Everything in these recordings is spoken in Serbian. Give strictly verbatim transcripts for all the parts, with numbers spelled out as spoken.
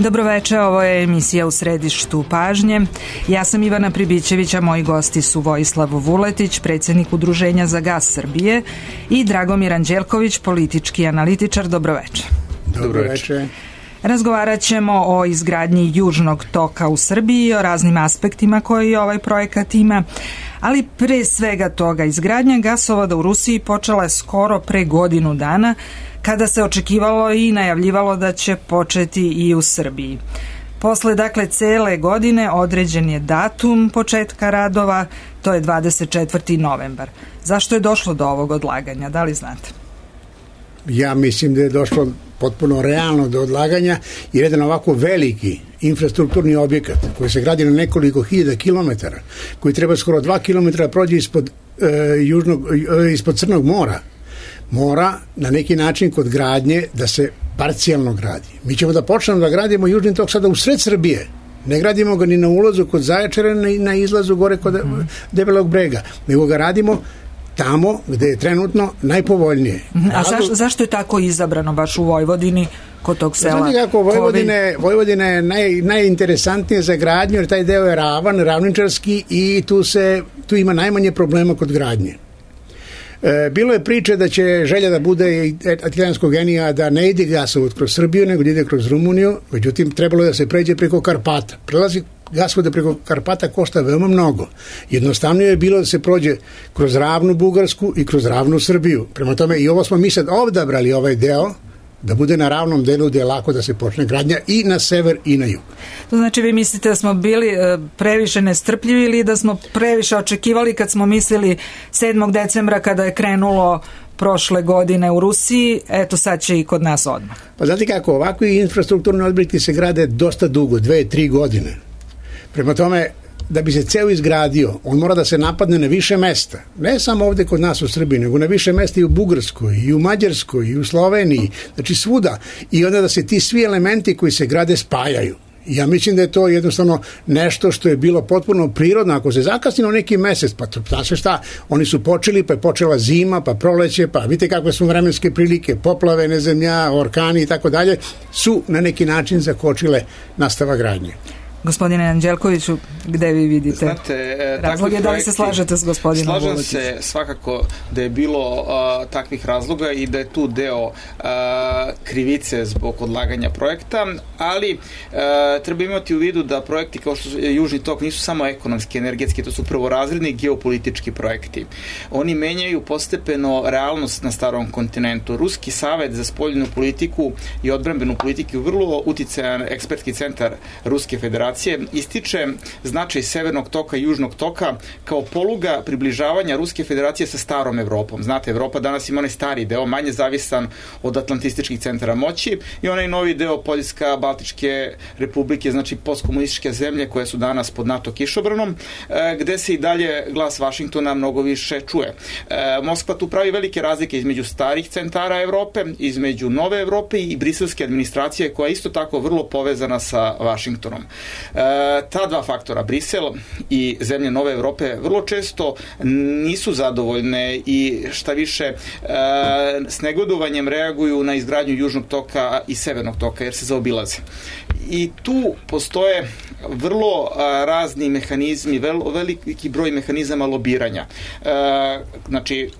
Dobroveče, ovo je emisija U središtu pažnje. Ja sam Ivana Pribićević, a moji gosti su Vojislav Vuletić, predsjednik Udruženja za gas Srbije, i Dragomir Anđelković, politički analitičar. Dobroveče. Dobroveče. Razgovarat ćemo o izgradnji Južnog toka u Srbiji i o raznim aspektima koji ovaj projekat ima, ali pre svega toga izgradnja gasovoda u Rusiji počela je skoro pre godinu dana, kada se očekivalo i najavljivalo da će početi i u Srbiji. Posle, dakle, cele godine određen je datum početka radova, to je dvadeset četvrti novembar. Zašto je došlo do ovog odlaganja, da li znate? Ja mislim da je došlo potpuno realno do odlaganja, jer jedan ovako veliki infrastrukturni objekat koji se gradi na nekoliko hiljada kilometara, koji treba skoro dva kilometra prođe ispod, e, južnog, e, ispod Crnog mora, mora na neki način kod gradnje da se parcijalno gradi. Mi ćemo da počnemo da gradimo Južni tok sada u sred Srbije. Ne gradimo ga ni na ulazu kod Zaječara, ni na izlazu gore kod mm. Debelog brega, nego ga radimo tamo gde je trenutno najpovoljnije. A zaš, zašto je tako izabrano baš u Vojvodini kod tog sela? Znate kako, Vojvodine, Vojvodina je naj, najinteresantnije za gradnju, jer taj deo je ravan, ravničarski i tu, se, tu ima najmanje problema kod gradnje. E, bilo je priče da će želja da bude italijanskog genija da ne ide gasovod kroz Srbiju, nego da ide kroz Rumuniju, međutim trebalo je da se pređe preko Karpata. Prelazi gasovoda preko Karpata košta veoma mnogo. Jednostavnije je bilo da se prođe kroz ravnu Bugarsku i kroz ravnu Srbiju. Prema tome i ovo smo mi sad odabrali ovaj deo da bude na ravnom delu gde je lako da se počne gradnja i na sever i na jug. To znači vi mislite da smo bili previše nestrpljivi ili da smo previše očekivali kad smo mislili sedmog decembra kada je krenulo prošle godine u Rusiji, eto sad će i kod nas odmah. Pa znate kako, ovakvi infrastrukturni objekti se grade dosta dugo, dve, tri godine. Prema tome, da bi se ceo izgradio, on mora da se napadne na više mesta. Ne samo ovde kod nas u Srbiji, nego na više mesta i u Bugarskoj, i u Mađarskoj, i u Sloveniji, znači svuda. I onda da se ti svi elementi koji se grade spajaju. Ja mislim da je to jednostavno nešto što je bilo potpuno prirodno. Ako se zakasni na neki mesec, pa to, znaš šta, oni su počeli, pa je počela zima, pa proleće, pa vidite kakve su vremenske prilike, poplave, nezemlja, orkani i tako dalje, su na neki način zakočile nastava gradnje. Gospodine Anđelkoviću, gde vi vidite Znate, e, razloge, da li se slažete s gospodinom Slažem Vuletićem? se svakako da je bilo uh, takvih razloga i da je tu deo uh, krivice zbog odlaganja projekta, ali uh, treba imati u vidu da projekti kao što je Južni tok nisu samo ekonomski, energetski, to su prvorazredni geopolitički projekti. Oni menjaju postepeno realnost na starom kontinentu. Ruski savet za spoljnu politiku i odbrambenu politiku je vrlo uticajan ekspertski centar Ruske federacije ističe značaj Severnog toka i Južnog toka kao poluga približavanja Ruske federacije sa starom Evropom. Znate, Evropa danas ima onaj stari deo, manje zavisan od atlantističkih centara moći, i onaj novi deo Poljska, Baltičke republike, znači postkomunističke zemlje koje su danas pod NATO kišobranom, gde se i dalje glas Vašingtona mnogo više čuje. Moskva tu pravi velike razlike između starih centara Evrope, između nove Evrope i briselske administracije koja je isto tako vrlo povezana sa Vašingtonom. E, ta dva faktora, Brisel i zemlje nove Evrope, vrlo često nisu zadovoljne i šta više e, s negodovanjem reaguju na izgradnju Južnog toka i Severnog toka, jer se zaobilaze. I tu postoje vrlo a, razni mehanizmi, vel, veliki broj mehanizama lobiranja. E, znači,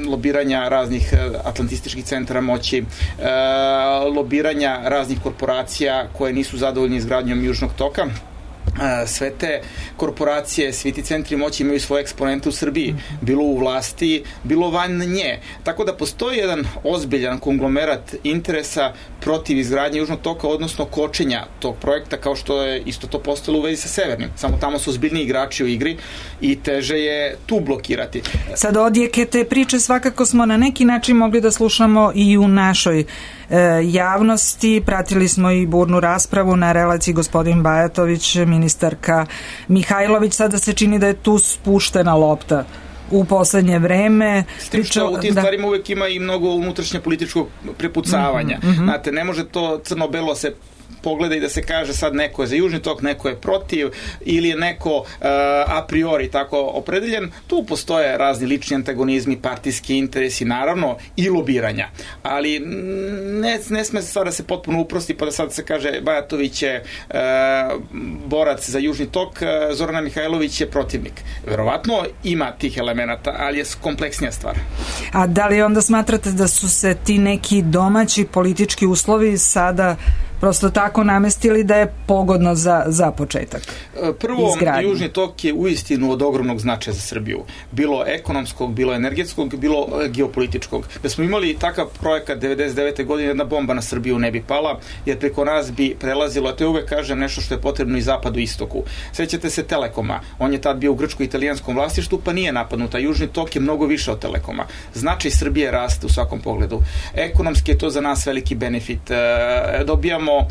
lobiranja raznih atlantističkih centara moći, e, lobiranja raznih korporacija koje nisu zadovoljni izgradnjom Južnog toka. Sve te korporacije, svi ti centri moći imaju svoje eksponente u Srbiji, bilo u vlasti, bilo van nje. Tako da postoji jedan ozbiljan konglomerat interesa protiv izgradnje Južnog toka, odnosno kočenja tog projekta, kao što je isto to postalo u vezi sa Severnim. Samo tamo su ozbiljni igrači u igri i teže je tu blokirati. Sad odjeke te priče svakako smo na neki način mogli da slušamo i u našoj e, javnosti. Pratili smo i burnu raspravu na relaciji gospodin Bajatović, ministarka Mihajlović. Sada se čini da je tu spuštena lopta u poslednje vreme. S tim što u tim da. stvarima uvek ima i mnogo unutrašnje političkog prepucavanja. Mm-hmm. Znate, ne može to crno-belo se pogleda i da se kaže sad neko je za Južni tok, neko je protiv ili je neko uh, a priori tako opredeljen. Tu postoje razni lični antagonizmi, partijski interesi, naravno i lobiranja. Ali ne, ne sme stvar da se potpuno uprosti pa da sad se kaže Bajatović je uh, borac za Južni tok, Zorana Mihajlović je protivnik. Verovatno ima tih elemenata, ali je kompleksnija stvar. A da li onda smatrate da su se ti neki domaći politički uslovi sada prosto tako namestili da je pogodno za, za početak Prvo, izgradnje? Južni tok je uistinu od ogromnog značaja za Srbiju. Bilo ekonomskog, bilo energetskog, bilo geopolitičkog. Da smo imali takav projekat devedeset devete godine, jedna bomba na Srbiju ne bi pala, jer preko nas bi prelazilo, a to je uvek kažem nešto što je potrebno i zapadu i istoku. Sećate se Telekoma, on je tad bio u grčko-italijanskom vlasništvu, pa nije napadnuta. Južni tok je mnogo više od Telekoma. Značaj Srbije raste u svakom pogledu. Ekonomski je to za nas veliki benefit. E, dobijamo e,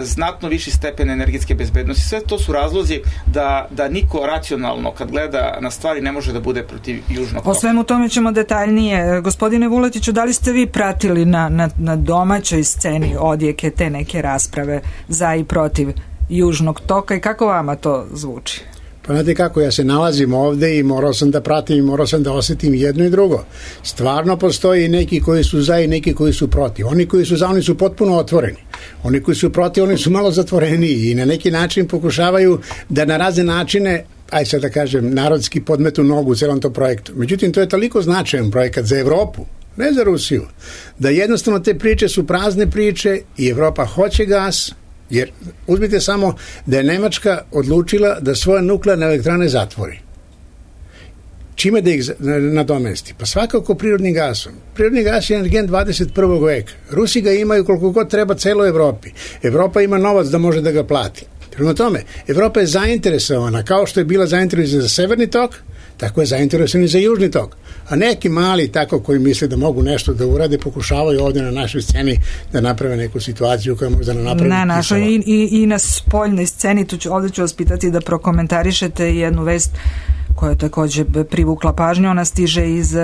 znatno viši stepen energetske bezbednosti. Sve to su razlozi da, da niko racionalno kad gleda na stvari ne može da bude protiv Južnog toka. O svemu tome ćemo detaljnije. Gospodine Vuletiću, da li ste vi pratili na, na, na domaćoj sceni odjeke te neke rasprave za i protiv Južnog toka i kako vama to zvuči? Pa znate kako, ja se nalazim ovde i morao sam da pratim i morao sam da osetim jedno i drugo. Stvarno postoji neki koji su za i neki koji su protiv. Oni koji su za, oni su potpuno otvoreni. Oni koji su protiv, oni su malo zatvoreniji i na neki način pokušavaju da na razne načine, aj sad da kažem, narodski podmetu nogu u celom tom projektu. Međutim, to je toliko značajan projekat za Evropu, ne za Rusiju, da jednostavno te priče su prazne priče i Evropa hoće gas. Jer uzmite samo da je Nemačka odlučila da svoje nuklearne elektrane zatvori. Čime da ih nadomesti? Pa svakako prirodnim gasom. Prirodni gas je energent dvadeset prvog veka. Rusi ga imaju koliko god treba celoj Evropi. Evropa ima novac da može da ga plati. Prema tome, Evropa je zainteresovana, kao što je bila zainteresovana za severni tok, tako je zainteresovana i za južni tok. A neki mali tako koji misle da mogu nešto da urade, pokušavaju ovdje na našoj sceni da naprave neku situaciju koja možda ne napravi. Na našoj i, i, i na spoljnoj sceni, tu ću, ovdje ću vas pitati da prokomentarišete jednu vest koja je također privukla pažnju. Ona stiže iz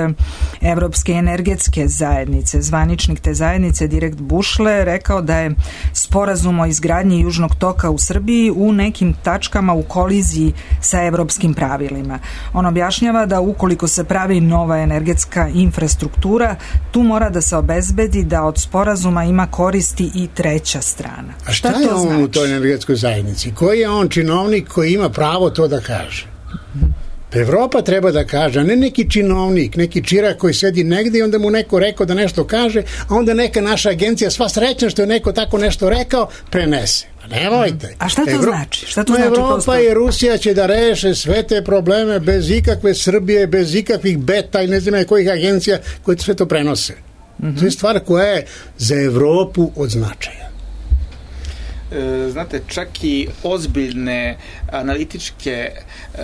Evropske energetske zajednice. Zvaničnik te zajednice, Direkt Bušle, rekao da je sporazum o izgradnji Južnog toka u Srbiji u nekim tačkama u koliziji sa evropskim pravilima. On objašnjava da ukoliko se pravi nova energetska infrastruktura, tu mora da se obezbedi da od sporazuma ima koristi i treća strana. A šta, šta je on znači? U toj energetskoj zajednici? Koji je on činovnik koji ima pravo to da kaže? Evropa treba da kaže, a ne neki činovnik, neki čirak koji sedi negdje i onda mu neko rekao da nešto kaže, a onda neka naša agencija, sva srećna što je neko tako nešto rekao, prenese. Nemojte. A šta to Evro... znači? Šta to no, znači Evropa prosto? I Rusija će da reše sve te probleme bez ikakve Srbije, bez ikakvih beta i ne znam kojih agencija koje sve to prenose. Mm-hmm. To je stvar koja je za Evropu od značaja. Znate, čak i ozbiljne analitičke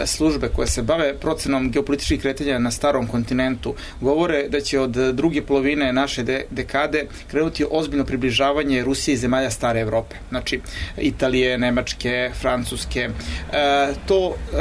službe koje se bave procenom geopolitičkih kretanja na starom kontinentu govore da će od druge polovine naše de- dekade krenuti ozbiljno približavanje Rusije i zemalja stare Evrope. Znači, Italije, Nemačke, Francuske. E, to e,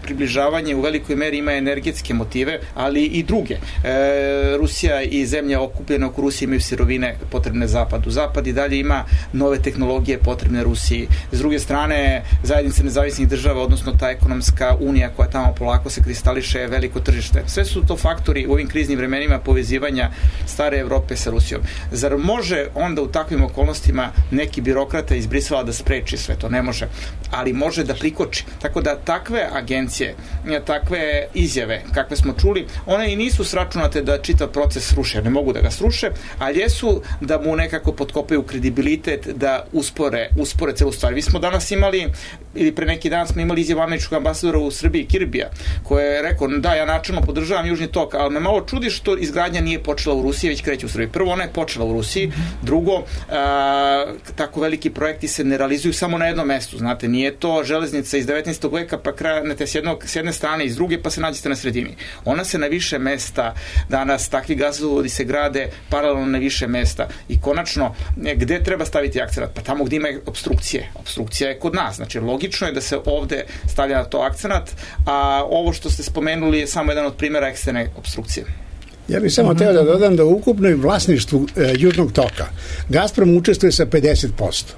približavanje u velikoj meri ima energetske motive, ali i druge. E, Rusija i zemlje okupljene oko Rusije imaju sirovine potrebne Zapadu. Zapad i dalje ima nove tehnologije potrebne Rusiji. S druge strane, zajednice nezavisnih država, odnosno ta ekonomska unija koja tamo polako se kristališe, je veliko tržište. Sve su to faktori u ovim kriznim vremenima povezivanja stare Evrope sa Rusijom. Zar može onda u takvim okolnostima neki birokrata iz Brisela da spreči sve to? Ne može. Ali može da prikoči. Tako da takve agencije, takve izjave, kakve smo čuli, one i nisu sračunate da čitav proces sruše. Ne mogu da ga sruše, ali jesu da mu nekako potkopaju kredibilitet, da uspore uspore celu stvar. Vi smo danas imali, ili pre neki dan smo imali izjavu američkog ambasadora u Srbiji, Kirbija, koji je rekao, da, ja načelno podržavam Južni tok, ali me malo čudi što izgradnja nije počela u Rusiji, već kreće u Srbiji. Prvo, ona je počela u Rusiji, drugo, a, tako veliki projekti se ne realizuju samo na jednom mestu, znate, nije to železnica iz devetnaestog veka, pa krenete s, jednog, s jedne strane i s druge, pa se nađete na sredini. Ona se na više mesta, danas takvi gasovodi se grade paralelno na više mesta i konačno, gde treba staviti akcenat? Pa tamo gde ima obstrukcije. Obstrukcija je kod nas. Znači, logično je da se ovde stavlja na to akcenat, a ovo što ste spomenuli je samo jedan od primjera eksterne obstrukcije. Ja bih samo teo da dodam da u ukupnoj vlasništvu e, Južnog toka Gazprom učestvuje sa pedeset posto.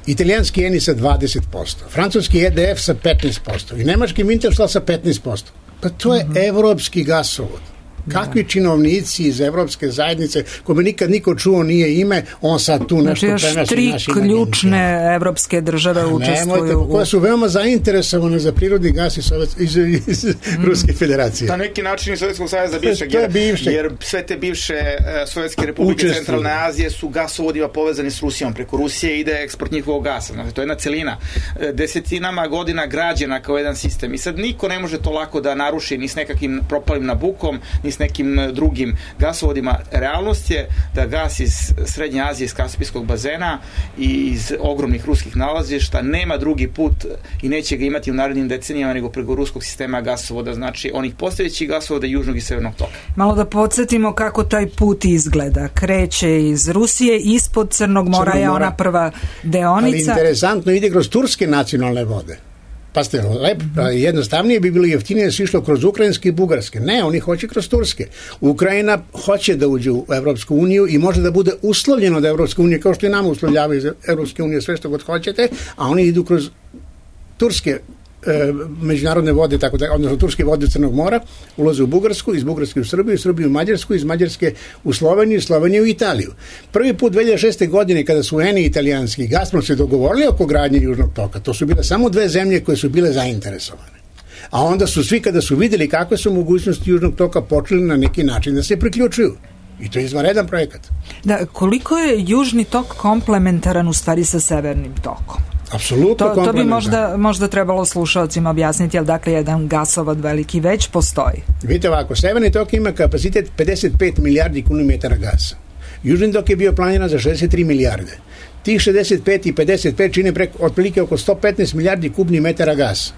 italijanski Eni sa dvadeset posto, francuski E D F sa petnaest posto i nemački Wintershall sa petnaest posto. Pa to je mm-hmm. evropski gasovod. Kakvi činovnici iz evropske zajednice, kome nikad niko čuo nije ime, on sad tu nešto prenosi. Znači još tri ključne evropske države učestvuju. Nemojte, koje su veoma zainteresovane za prirodni gas iz, Sovjet, iz, iz mm. Ruske federacije. Na neki način iz Sovjetskog saveza bivšeg, jer, jer sve te bivše uh, Sovjetske republike Učestvuju. Centralne Azije su gasovodima povezani s Rusijom. Preko Rusije ide eksport njihovog gasa. Znači, to je jedna celina. Desetinama godina građena kao jedan sistem. I sad niko ne može to lako da naruši ni s nekakvim propalim Nabukom, ni s nekim drugim gasovodima. Realnost je da gas iz Srednje Azije, iz Kaspijskog bazena i iz ogromnih ruskih nalazišta nema drugi put i neće ga imati u narednim decenijama nego preko ruskog sistema gasovoda, znači onih postojećih gasovoda južnog i severnog toka. Malo da podsjetimo kako taj put izgleda. Kreće iz Rusije, ispod Crnog mora je ona prva deonica. Ali interesantno ide kroz turske nacionalne vode. Pa ste, lep, jednostavnije bi bilo jeftinije da se išlo kroz ukrajinske i bugarske. Ne, oni hoće kroz turske. Ukrajina hoće da uđe u Evropsku uniju i može da bude uslovljeno da Evropska unija, kao što i nama uslovljavaju iz Evropske unije sve što god hoćete, a oni idu kroz turske e, međunarodne vode, tako da, odnosno turske vode Crnog mora, ulaze u Bugarsku, iz Bugarske u Srbiju, Srbiju u Mađarsku, iz Mađarske u Sloveniju, Sloveniju u Italiju. Prvi put dve hiljade šeste. godine kada su Eni italijanski i Gazprom se dogovorili oko gradnje Južnog toka, to su bile samo dve zemlje koje su bile zainteresovane. A onda su svi kada su videli kakve su mogućnosti Južnog toka počeli na neki način da se priključuju. I to je izvanredan projekat. Da, koliko je Južni tok komplementaran u stvari sa Severnim tokom? Apsolutno to, to bi možda, možda trebalo slušalcima objasniti, ali dakle jedan gasovod veliki već postoji. Vidite ovako, Severni tok ima kapacitet pedeset pet milijardi kubičnih gasa. Južni tok je bio planiran za šezdeset tri milijarde. Tih šezdeset pet i pedeset pet čine preko, otprilike oko sto petnaest milijardi kubnih metara gasa.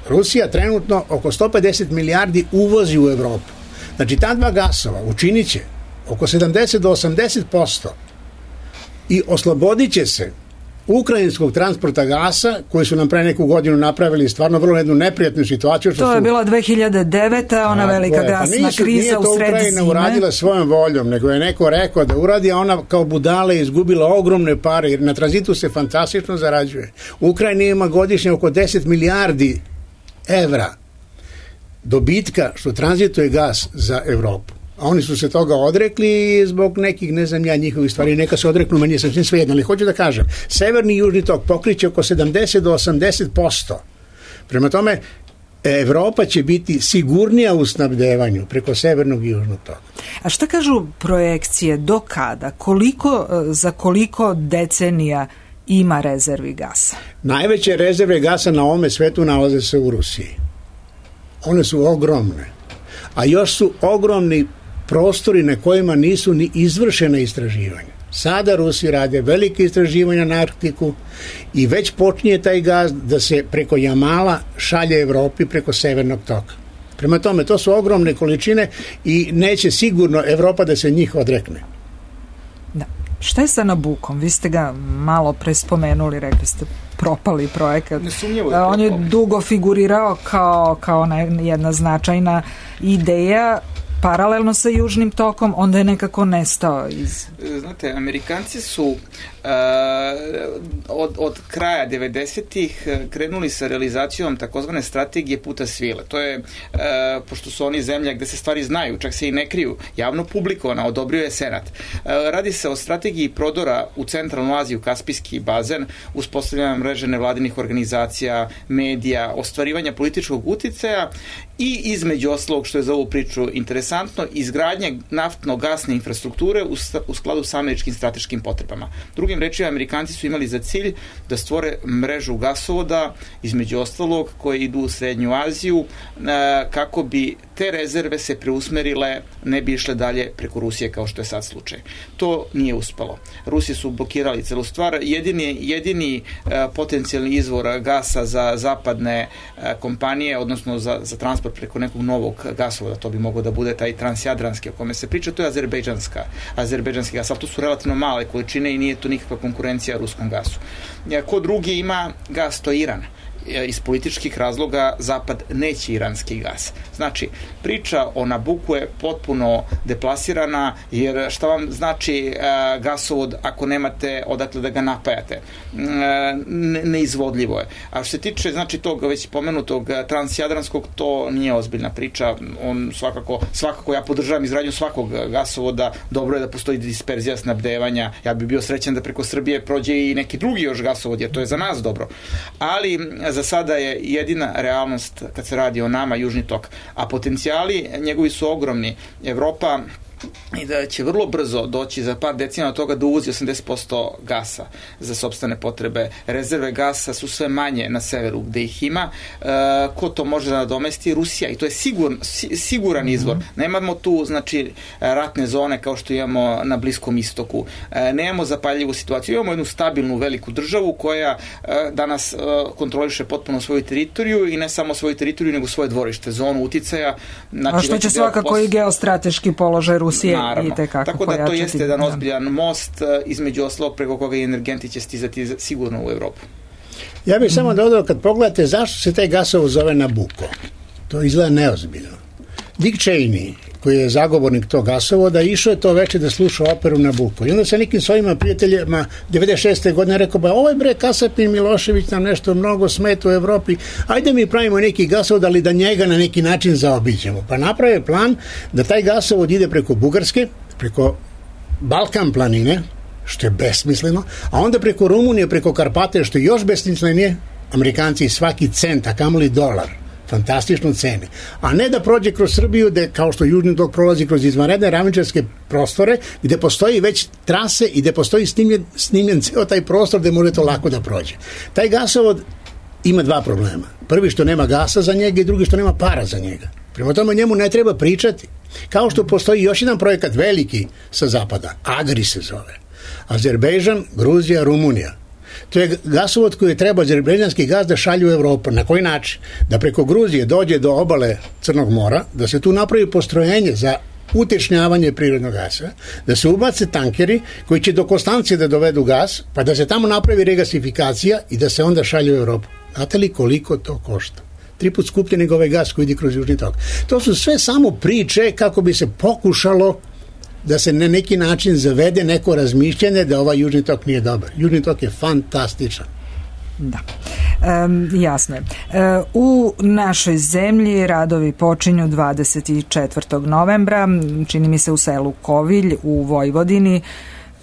Rusija trenutno oko sto pedeset milijardi uvozi u Evropu. Znači ta dva gasova učinit će oko sedamdeset do osamdeset posto i oslobodit će se ukrajinskog transporta gasa koji su nam pre neku godinu napravili stvarno vrlo jednu neprijatnu situaciju. Što to je su... bila dve hiljade deveta. ona a, velika gasna pa nisu, kriza u sred zime. Nije to Ukrajina uradila svojom voljom, nego je neko rekao da uradi, a ona kao budala je izgubila ogromne pare, jer na tranzitu se fantastično zarađuje. Ukrajina ima godišnje oko deset milijardi evra dobitka što tranzituje gas za Evropu. A oni su se toga odrekli zbog nekih, ne znam ja, njihovih stvari. Neka se odreknu, meni je sasvim svejedno, ali hoću da kažem, Severni i Južni tok pokriće oko sedamdeset do osamdeset posto. Prema tome, Evropa će biti sigurnija u snabdevanju preko Severnog i Južnog toka. A šta kažu projekcije, do kada? Koliko, za koliko decenija ima rezervi gasa? Najveće rezerve gasa na ovome svetu nalaze se u Rusiji. One su ogromne. A još su ogromni prostori na kojima nisu ni izvršena istraživanja. Sada Rusi rade velike istraživanja na Arktiku i već počinje taj gaz da se preko Jamala šalje Evropi preko Severnog toka. Prema tome, to su ogromne količine i neće sigurno Evropa da se njih odrekne. Da. Šta je sa Nabukom? Vi ste ga malo pre spomenuli, rekli ste propali projekat. Nesumnjivo je On je dugo figurirao kao, kao jedna značajna ideja paralelno sa Južnim tokom, onda je nekako nestao iz... Znate, Amerikanci su uh, od, od kraja devedesetih krenuli sa realizacijom takozvane strategije puta svile. To je, uh, pošto su oni zemlja gde se stvari znaju, čak se i ne kriju, javno publikovana, odobrio je Senat. Uh, radi se o strategiji prodora u Centralnu Aziju, Kaspijski bazen, uspostavljanja mreže nevladinih organizacija, medija, ostvarivanja političkog uticaja i između ostalog, što je za ovu priču interesantno, izgradnje naftno-gasne infrastrukture u, u skladu sa američkim strateškim potrebama. Drugim rečima, Amerikanci su imali za cilj da stvore mrežu gasovoda, između ostalog, koje idu u Srednju Aziju, kako bi te rezerve se preusmerile, ne bi išle dalje preko Rusije, kao što je sad slučaj. To nije uspelo. Rusi su blokirali celu stvar. Jedini, jedini potencijalni izvor gasa za zapadne kompanije, odnosno za, za transport preko nekog novog gasovoda, to bi moglo da bude taj transjadranski o kome se priča, to je azerbejdžanska, azerbejdžanski gas, ali to su relativno male količine i nije to nikakva konkurencija ruskom gasu. Ko drugi ima gas, to je Iran. iz političkih razloga Zapad neće iranski gas. Znači, priča o Nabuku je potpuno deplasirana, jer šta vam znači gasovod ako nemate odakle da ga napajate? Neizvodljivo je. A što se tiče, znači, tog već pomenutog transjadranskog, to nije ozbiljna priča. On svakako, svakako ja podržavam izgradnju svakog gasovoda. Dobro je da postoji disperzija snabdevanja. Ja bih bio srećan da preko Srbije prođe i neki drugi još gasovod, jer to je za nas dobro. Ali za sada je jedina realnost kad se radi o nama Južni tok. A potencijali njegovi su ogromni. Evropa i da će vrlo brzo doći za par decenija od toga da uvozi osamdeset posto gasa za sopstvene potrebe. Rezerve gasa su sve manje na severu gde ih ima. E, ko to može da nadomesti? Rusija. I to je sigur, siguran izvor. Nemamo tu, znači, ratne zone kao što imamo na Bliskom istoku. E, nemamo zapaljivu situaciju. Imamo jednu stabilnu veliku državu koja e, danas e, kontroliše potpuno svoju teritoriju i ne samo svoju teritoriju, nego svoje dvorište, zonu uticaja. Znači, a što će svakako pos... i geostrateški položaj Rusije. Naravno. Tako da to jeste jedan ozbiljan most, između ostalog preko koga i energenti će stizati sigurno u Evropu. Ja bih mm. samo dodao, kad pogledate zašto se taj gasovod zove Nabuko, to izgleda neozbiljno. Dick Cheney, koji je zagovornik tog gasovoda, išao je to veče da sluša operu Nabuko. I onda sa nekim svojima prijateljima devedeset šeste godine rekao, ba ovaj bre Kasapin Milošević nam nešto mnogo smeta u Evropi, ajde mi pravimo neki gasovod, ali da njega na neki način zaobiđemo. Pa naprave plan da taj gasovod ide preko Bugarske, preko Balkan planine, što je besmisleno, a onda preko Rumunije, preko Karpate, što je još besmislenije, Amerikanci svaki cent, a kamoli dolar, fantastično cene, a ne da prođe kroz Srbiju, gde, kao što Južni tok prolazi kroz izvanredne ravničarske prostore, gde postoji već trase i gde postoji snimljen, snimljen ceo taj prostor gde može to lako da prođe. Taj gasovod ima dva problema. Prvi što nema gasa za njega i drugi što nema para za njega. Prema tome njemu ne treba pričati. Kao što postoji još jedan projekat veliki sa zapada, Agri se zove. Azerbejdžan, Gruzija, Rumunija. To je gasovod koji treba azerbejdžanski gas da šalju u Evropu. Na koji način? Da preko Gruzije dođe do obale Crnog mora, da se tu napravi postrojenje za utečnjavanje prirodnog gasa, da se ubace tankeri koji će do Konstancije da dovedu gas, pa da se tamo napravi regasifikacija i da se onda šalju u Evropu. Znate li koliko to košta? Tri put skuplje nego ovaj gas koji ide kroz Južni tok. To su sve samo priče kako bi se pokušalo da se na neki način zavede neko razmišljanje da ovaj Južni tok nije dobar. Južni tok je fantastičan. Da, e, jasno je. E, u našoj zemlji radovi počinju dvadeset četvrtog novembra, čini mi se u selu Kovilj u Vojvodini.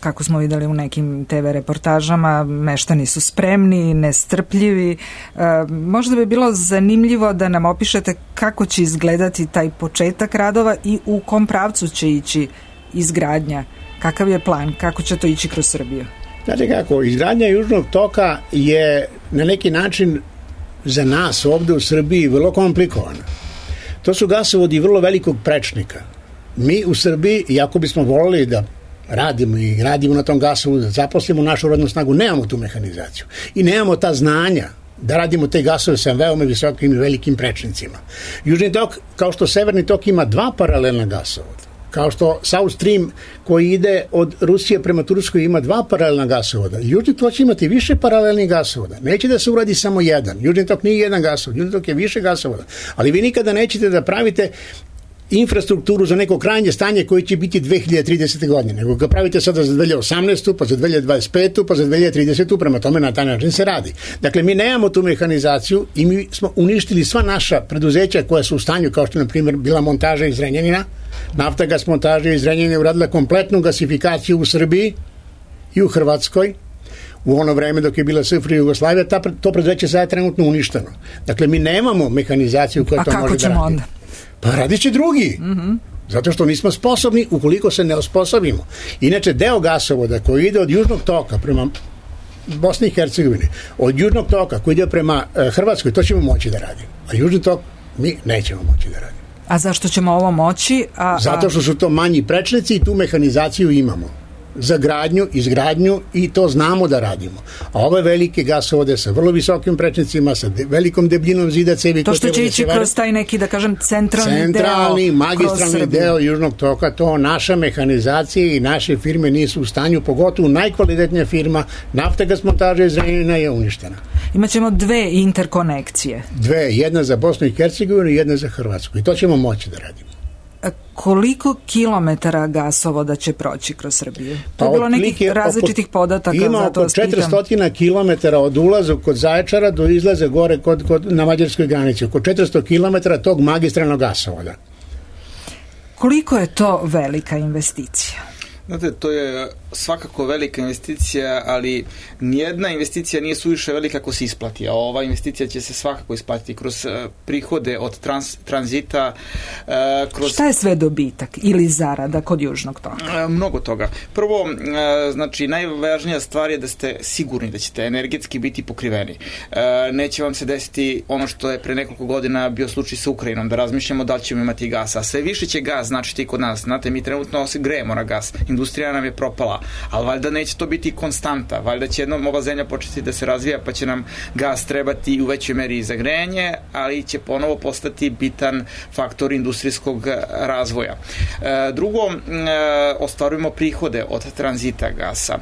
Kako smo videli u nekim te ve reportažama, meštani su spremni, nestrpljivi. E, možda bi bilo zanimljivo da nam opišete kako će izgledati taj početak radova i u kom pravcu će ići izgradnja. Kakav je plan? Kako će to ići kroz Srbiju? Znate kako, izgradnja Južnog toka je na neki način za nas ovde u Srbiji vrlo komplikovana. To su gasovodi vrlo velikog prečnika. Mi u Srbiji, iako bismo volili da radimo i radimo na tom gasovodu, da zaposlimo našu rodnu snagu, nemamo tu mehanizaciju i nemamo ta znanja da radimo te gasove sa veoma visokim i velikim prečnicima. Južni tok, kao što Severni tok, ima dva paralelna gasovoda. Kao što South Stream koji ide od Rusije prema Turskoj ima dva paralelna gasovoda. Južni tok će imati više paralelnih gasovoda. Neće da se uradi samo jedan. Južni tok nije jedan gasovod. Južni tok je više gasovoda. Ali vi nikada nećete da pravite infrastrukturu za neko krajnje stanje koje će biti dve hiljade tridesete godine, nego ga pravite sada za dve hiljade osamnaestu, pa za dve hiljade dvadeset petu, pa za dve hiljade tridesetu, prema tome na taj način se radi. Dakle, mi nemamo tu mehanizaciju i mi smo uništili sva naša preduzeća koja su u stanju, kao što je, na primjer, bila montaža iz Zrenjanina. Naftagas montaža iz Zrenjanina uradila kompletnu gasifikaciju u Srbiji i u Hrvatskoj. U ono vreme dok je bila S F R I Jugoslavija, ta, to preduzeće sada je trenutno uništeno. Dakle, mi nemamo mehanizaciju koja A to može da radi. A kako ćemo onda? Pa radit će drugi. Mm-hmm. Zato što nismo sposobni ukoliko se ne osposobimo. Inače, deo gasovoda koji ide od Južnog toka prema Bosni i Hercegovini, od Južnog toka koji ide prema e, Hrvatskoj, to ćemo moći da radimo. A Južni tok mi nećemo moći da radimo. A zašto ćemo ovo moći? A, a... Zato što su to manji prečnici i tu mehanizaciju imamo. Za gradnju, izgradnju i to znamo da radimo. A ove velike gasovode sa vrlo visokim prečnicima, sa de, velikom debljinom zida cevi... To što će ići kroz taj neki, da kažem, centralni, centralni deo magistralni deo Južnog toka, to naša mehanizacija i naše firme nisu u stanju, pogotovo najkvalitetnija firma, Naftagas montaža iz Zrenjanina je uništena. Imaćemo dve interkonekcije. Dve, jedna za Bosnu i Hercegovinu i jedna za Hrvatsku. I to ćemo moći da radimo. Koliko kilometara gasovoda će proći kroz Srbiju? To je bilo nekih različitih podataka. Ima oko četiristo kilometara od ulaza kod Zaječara do izlaza gore kod, kod, na mađarskoj granici. Oko četiristo kilometara tog magistralnog gasovoda. Koliko je to velika investicija? Znate, to je svakako velika investicija, ali nijedna investicija nije suviše velika ako se isplati, a ova investicija će se svakako isplatiti kroz uh, prihode od trans, tranzita. Uh, kroz... Šta je sve dobitak ili zarada kod Južnog toka? Uh, mnogo toga. Prvo, uh, znači, najvažnija stvar je da ste sigurni da ćete energetski biti pokriveni. Uh, neće vam se desiti ono što je pre nekoliko godina bio slučaj sa Ukrajinom, da razmišljamo da li ćemo imati gas, a sve više će gas značiti i kod nas. Znate, mi trenutno se grejemo na gas. Industrija nam je propala, ali valjda neće to biti konstanta, valjda će jednom ova zemlja početi da se razvija, pa će nam gas trebati u većoj meri za grejanje, ali će ponovo postati bitan faktor industrijskog razvoja. E, drugo, e, ostvarujemo prihode od tranzita gasa. E,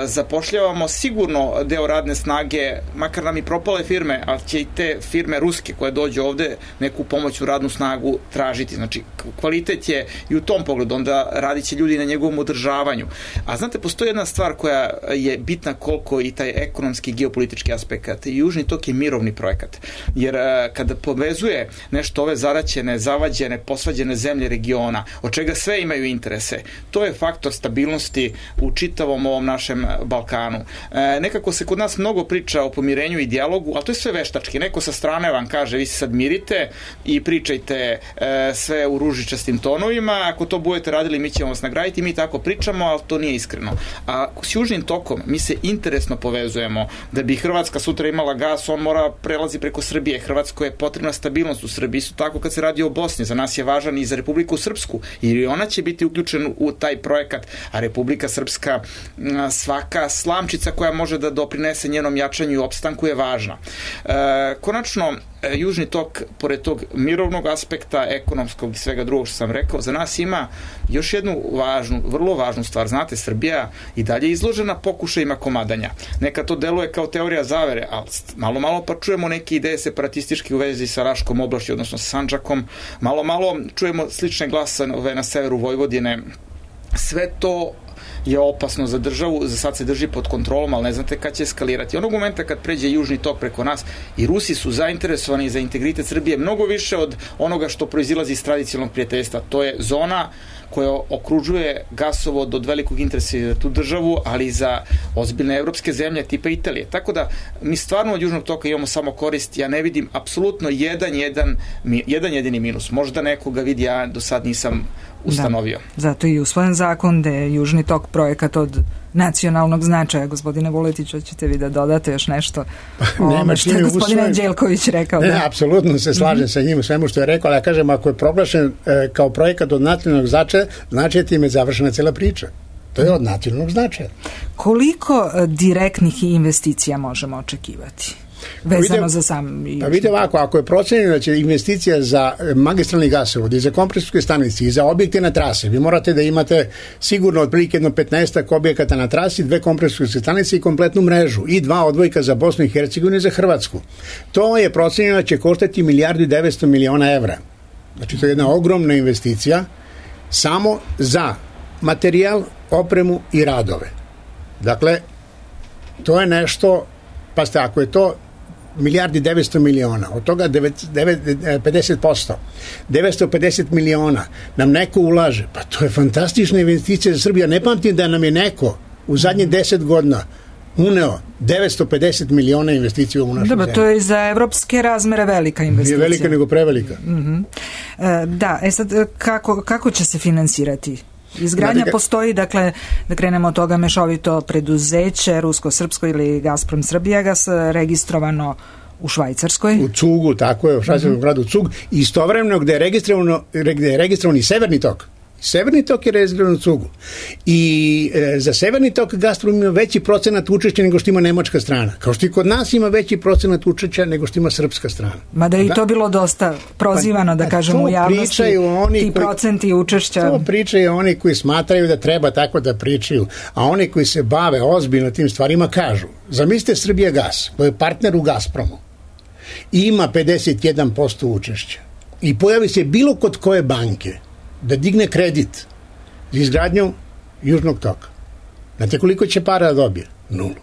zapošljavamo sigurno deo radne snage, makar nam i propale firme, ali će i te firme ruske koje dođu ovde neku pomoću radnu snagu tražiti. Znači, kvalitet je i u tom pogledu, onda radit će ljudi na njegovom održavanju. A znate, postoji jedna stvar koja je bitna koliko i taj ekonomski geopolitički aspekt. Južni tok je mirovni projekat. Jer kada povezuje nešto ove zaraćene, zavađene, posvađene zemlje regiona, od čega sve imaju interese, to je faktor stabilnosti u čitavom ovom našem Balkanu. E, nekako se kod nas mnogo priča o pomirenju i dijalogu, ali to je sve veštački. Neko sa strane vam kaže, vi se sad mirite i pričajte e, sve u ružičastim tonovima, ako to budete radili, mi ćemo vas nagraditi, mi tako pričamo, ali to nije iskreno. A s Južnim tokom mi se interesno povezujemo. Da bi Hrvatska sutra imala gas, on mora prelazi preko Srbije. Hrvatskoj je potrebna stabilnost u Srbiji. Isto tako kad se radi o Bosni, za nas je važan i za Republiku Srpsku, jer i ona će biti uključena u taj projekat, a Republika Srpska, svaka slamčica koja može da doprinese njenom jačanju i opstanku je važna. E, konačno, Južni tok, pored tog mirovnog aspekta, ekonomskog i svega drugog što sam rekao, za nas ima još jednu važnu, vrlo važnu stvar. Znate, Srbija i dalje izložena pokušajima komadanja. Neka to deluje kao teorija zavere, ali malo, malo pa čujemo neke ideje separatističke u vezi sa Raškom oblašću, odnosno sa Sandžakom. Malo, malo čujemo slične glasove na severu Vojvodine. Sve to je opasno za državu, za sad se drži pod kontrolom, ali ne znate kad će eskalirati. Onog momenta kad pređe Južni tok preko nas, i Rusi su zainteresovani za integritet Srbije mnogo više od onoga što proizilazi iz tradicionalnog prijateljstva. To je zona koja okružuje gasovod od velikog interesa za tu državu, ali i za ozbiljne evropske zemlje tipa Italije. Tako da mi stvarno od Južnog toka imamo samo korist. Ja ne vidim apsolutno jedan, jedan, jedan jedini minus. Možda nekoga vidi, ja do sad nisam ustanovio. Da, zato i usvojen zakon da je Južni tok projekat od nacionalnog značaja. Gospodine Vuletić, hoćete vi da dodate još nešto o ovome što je gospodin Anđelković rekao? Ne, da? ne, apsolutno se slažem mm-hmm. sa njim u svemu što je rekao, ali ja kažem, ako je proglašen e, kao projekat od nacionalnog značaja, znači time je završena cela priča. To je od nacionalnog značaja. Koliko e, direktnih investicija možemo očekivati? Vezano vidite, za sam Južni. Pa vidite ovako, ako je procenjeno da će investicija za magistralni gasovod i za kompresorske stanice i za objekte na trasi, vi morate da imate sigurno otprilike jedno petnaestak objekata na trasi, dve kompresorske stanice i kompletnu mrežu i dva odvojka za Bosnu i Hercegovinu i za Hrvatsku. To je procenjeno da će koštati milijardu i devetsto miliona evra. Znači to je jedna ogromna investicija samo za materijal, opremu i radove. Dakle, to je nešto, pa ste, ako je to milijardi devetsto miliona, od toga pedeset posto, devetsto pedeset miliona nam neko ulaže, pa to je fantastična investicija za Srbiju. Ne pamtim da nam je neko u zadnjih deset godina uneo devetsto pedeset miliona investicija u našu zemlju. Da, to je za evropske razmere velika investicija. Nije velika nego prevelika. Mm-hmm. E, da, e sad, kako, kako će se finansirati? Izgradnja da, postoji, dakle, da krenemo od toga, mešovito preduzeće, Rusko-Srpsko ili Gazprom Srbijagas, registrovano u Švajcarskoj. U Cugu, tako je, u švajcarskom mm-hmm. gradu Cug. Istovremeno gde je registrovano, gde je registrovan i Severni tok. Severni tok je realizovan u cugu. I e, za Severni tok Gazprom ima veći procenat učešća nego što ima nemačka strana. Kao što i kod nas ima veći procenat učešća nego što ima srpska strana. Mada je i da? to bilo dosta prozivano, da kažemo, u javnosti, oni ti koji, procenti učešća. To pričaju oni koji smatraju da treba tako da pričaju, a oni koji se bave ozbiljno tim stvarima kažu, zamislite Srbijagas, koji je partner u Gazpromu, i ima pedeset jedan posto učešća i pojavi se bilo kod koje banke da digne kredit za izgradnju Južnog toka. Znate koliko će para da dobije? Nulu.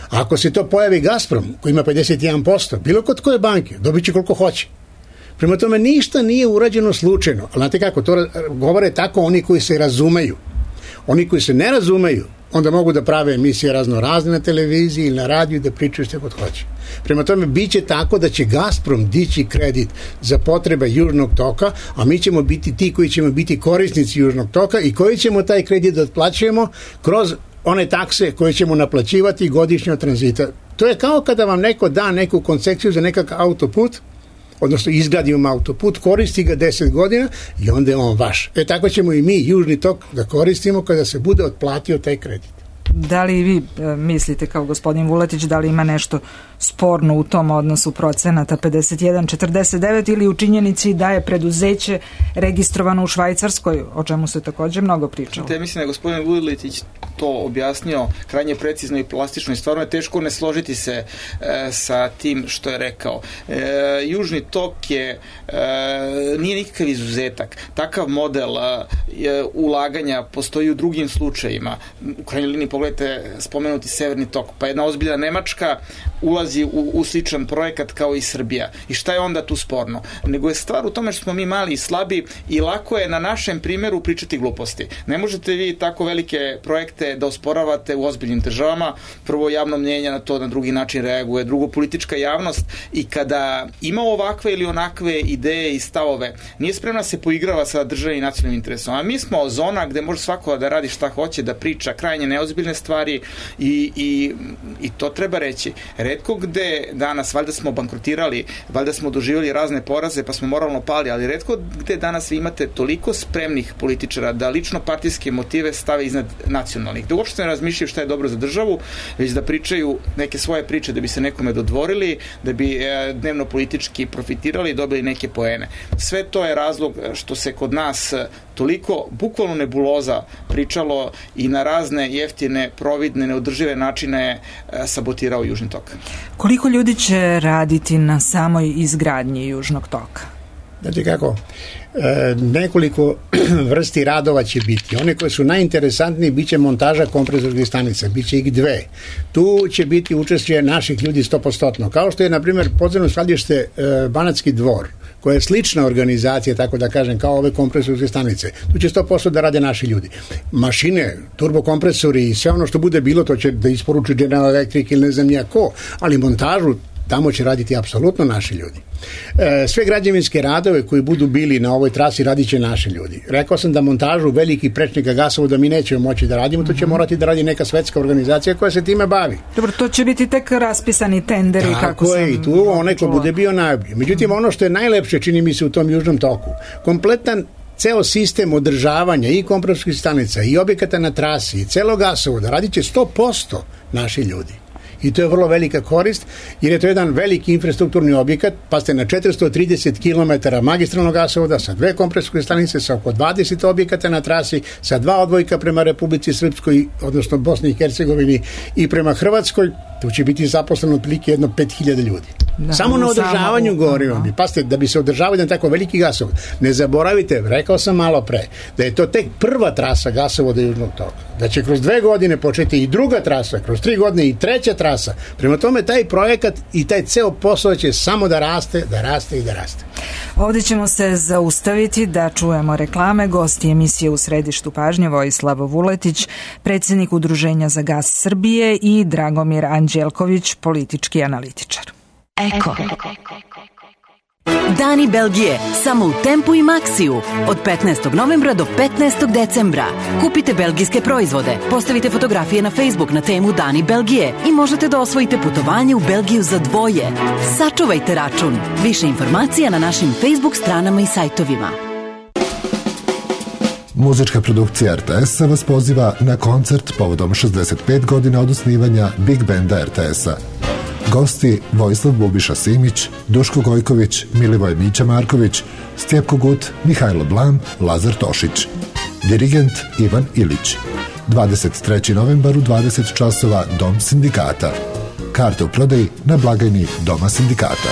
A ako se to pojavi Gazprom, koji ima pedeset jedan posto, bilo kod koje banke, dobit će koliko hoće. Prema tome, ništa nije urađeno slučajno. Ali znate kako, to govore tako oni koji se razumeju. Oni koji se ne razumeju, onda mogu da prave emisije razno razne na televiziji ili na radiju i da pričaju što god hoće. Prema tome, bit će tako da će Gazprom dići kredit za potrebe Južnog toka, a mi ćemo biti ti koji ćemo biti korisnici Južnog toka i koji ćemo taj kredit da otplaćujemo kroz one takse koje ćemo naplaćivati godišnje od tranzita. To je kao kada vam neko da neku koncesiju za nekakav autoput, odnosno izgradimo autoput, koristi ga deset godina i onda je on vaš. E tako ćemo i mi Južni tok da koristimo kada se bude otplatio taj kredit. Da li vi e, mislite kao gospodin Vuletić da li ima nešto sporno u tom odnosu procenata pedeset jedan četrdeset devet ili u činjenici da je preduzeće registrovano u Švajcarskoj, o čemu se takođe mnogo pričalo? Te mislim da je gospodin Vuletić to objasnio krajnje precizno i plastično i stvarno je teško ne složiti se e, sa tim što je rekao. E, Južni tok je e, nije nikakav izuzetak. Takav model e, ulaganja postoji u drugim slučajima. U krajnjoj liniji pogledajte spomenuti Severni tok, pa jedna ozbiljna Nemačka ulazi u, u sličan projekat kao i Srbija. I šta je onda tu sporno? Nego je stvar u tome što smo mi mali i slabi i lako je na našem primjeru pričati gluposti. Ne možete vi tako velike projekte da osporavate u ozbiljnim državama. Prvo, javno mnjenje na to na drugi način reaguje. Drugo, politička javnost i kada ima ovakve ili onakve ideje i stavove, nije spremna se poigrava sa državnim i nacionalnim interesom. A mi smo zona gde može svako da radi šta hoće, da priča krajnje neozbiljne stvari i, i, i to treba reći. Retko gde danas, valjda smo bankrotirali, valjda smo doživjeli razne poraze pa smo moralno pali, ali retko gde danas vi imate toliko spremnih političara da lično partijske motive stave iznad nacionalnih. Da uopšte ne razmišljaju šta je dobro za državu, već da pričaju neke svoje priče da bi se nekome dodvorili, da bi e, dnevno politički profitirali i dobili neke poene. Sve to je razlog što se kod nas toliko bukvalno nebuloza pričalo i na razne jeftine, providne, neodržive načine e, sabotirao Južni tok. Koliko ljudi će raditi na samoj izgradnji Južnog toka? Znači kako, e, nekoliko vrsti radova će biti. One koje su najinteresantnije bit će montaža kompresorskih stanica, bit će ih dve. Tu će biti učešće naših ljudi sto posto. Kao što je, na primjer, podzemno skladište e, Banatski dvor, koja je slična organizacija, tako da kažem, kao ove kompresorske stanice. Tu će sto posto da rade naši ljudi. Mašine, turbokompresori i sve ono što bude bilo, to će da isporuči General Electric ili ne znam nija ko, ali montažu tamo će raditi apsolutno naši ljudi. E, sve građevinske radove koji budu bili na ovoj trasi radit će naši ljudi. Rekao sam da montažu velikih prečnika gasovoda mi nećemo moći da radimo, to će morati da radi neka svetska organizacija koja se time bavi. Dobro, to će biti tek raspisani tenderi. Tako kako sam je, i tu onaj ko bude bio najbolji. Međutim, ono što je najlepše, čini mi se, u tom Južnom toku, kompletan ceo sistem održavanja i kompresorskih stanica i objekata na trasi i celog gasovoda radit će sto posto naši ljudi. I to je vrlo velika korist, jer je to jedan veliki infrastrukturni objekat, pa ste na četiristo trideset kilometara magistralnog gasovoda sa dve kompresorske stanice, sa oko dvadeset objekata na trasi, sa dva odvojka prema Republici Srpskoj, odnosno Bosni i Hercegovini i prema Hrvatskoj, tu će biti zaposleno otprilike jedno pet hiljada ljudi. Da, samo na održavanju govorim vam. Pazite, da bi se održavao jedan tako veliki gasovod. Ne zaboravite, rekao sam malo pre, da je to tek prva trasa gasovoda Južnog toka. Da će kroz dve godine početi i druga trasa, kroz tri godine i treća trasa. Prema tome, taj projekat i taj ceo posao će samo da raste, da raste i da raste. Ovdje ćemo se zaustaviti da čujemo reklame. Gosti emisije U središtu pažnje Vojislav Vuletić, predsjednik Udruženja za gas Srbije, i Dragomir Anđelković, politički analitičar. Eko. Dani Belgije, samo u Tempu i Maxiju. Od petnaestog novembra do petnaestog decembra. Kupite belgijske proizvode, postavite fotografije na Facebook na temu Dani Belgije i možete da osvojite putovanje u Belgiju za dvoje. Sačuvajte račun. Više informacija na našim Facebook stranama i sajtovima. Muzička produkcija R T S-a vas poziva na koncert povodom šezdeset pet godina od osnivanja Big Benda R T S-a. Gosti Vojislav Bubiša Simić, Duško Gojković, Milivoj Mića Marković, Stjepko Gut, Mihajlo Blam, Lazar Tošić. Dirigent Ivan Ilić. dvadeset trećeg novembar u dvadeset časova Dom sindikata. Karte u prodaji na blagajni Doma sindikata.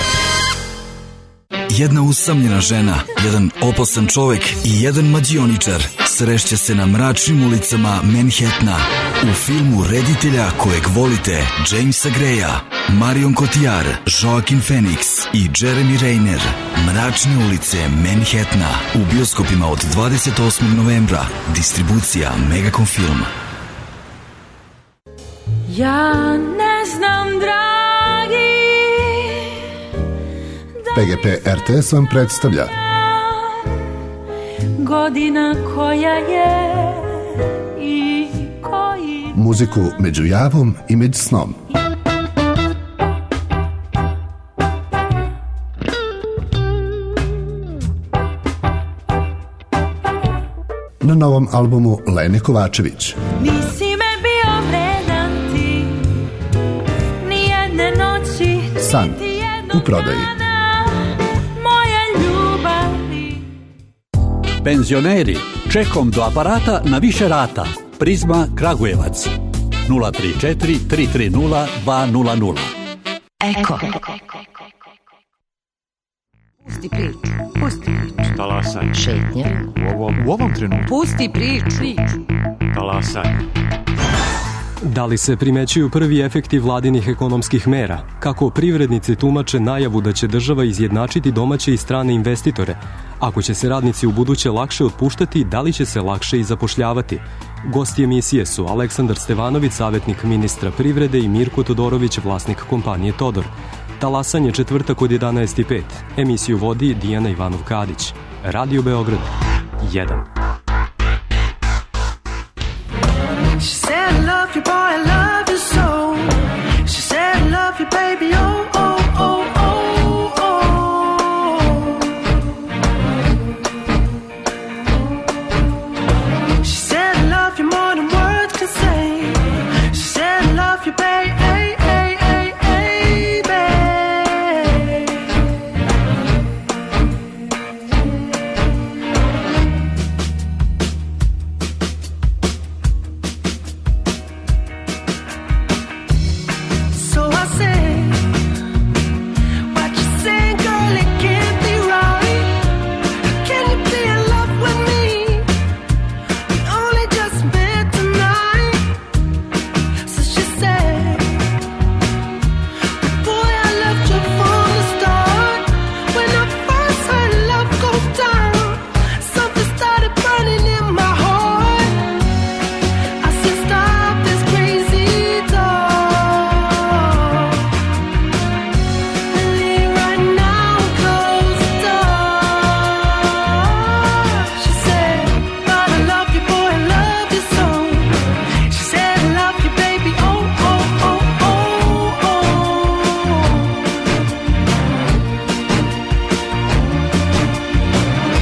Jedna usamljena žena, jedan opasan čovek i jedan mađioničar srešće se na mračnim ulicama Manhattana u filmu reditelja kojeg volite Jamesa Greya, Marion Cotillard, Joaquin Phoenix i Jeremy Renner. Mračne ulice Manhattana u bioskopima od dvadeset osmog novembra. Distribucija Megacom Film. Ja ne znam, dragi, P G P R T S vam predstavlja godina koja je i koji muziku među javom i među snom. Na novom albumu Lene Kovačević. nisi me bio vredan ti, nijedne noći, San niti jednog u prodaji. dana moje ljubavi. Penzioneri, čekom do aparata na više rata. Prizma Kragujevac. nula tri četiri tri tri nula dva nula nula. Eko. Pusti priču, pusti priču. Talasaj. Šetnja. U ovom, u ovom trenutku. Pusti priču. Talasaj. Da li se primećuju prvi efekti vladinih ekonomskih mera? Kako privrednici tumače najavu da će država izjednačiti domaće i strane investitore? Ako će se radnici u buduće lakše otpuštati, da li će se lakše i zapošljavati? Gosti emisije su Aleksandar Stevanović, savjetnik ministra privrede, i Mirko Todorović, vlasnik kompanije Todor. Talasanje četvrtak od jedanaest i pet. Emisiju vodi Dijana Ivanov-Kadić. Radio Beograd jedan. She said I love you boy, I love you so. She said I love you baby, oh, oh, oh, oh, oh. She said I love you more than words can say. She said I love you baby, hey, hey, hey, hey, babe. So I said, what you saying, girl, it can't be right. Can you be in love with me? We only just met tonight. So she said, boy, I loved you from the start. When I first heard love go down, something started burning in my heart. I said, stop this crazy talk. Leave right now and close the door. She said, but I love you, boy, I love you so. She said, I love you, baby, oh, oh, oh, oh, oh.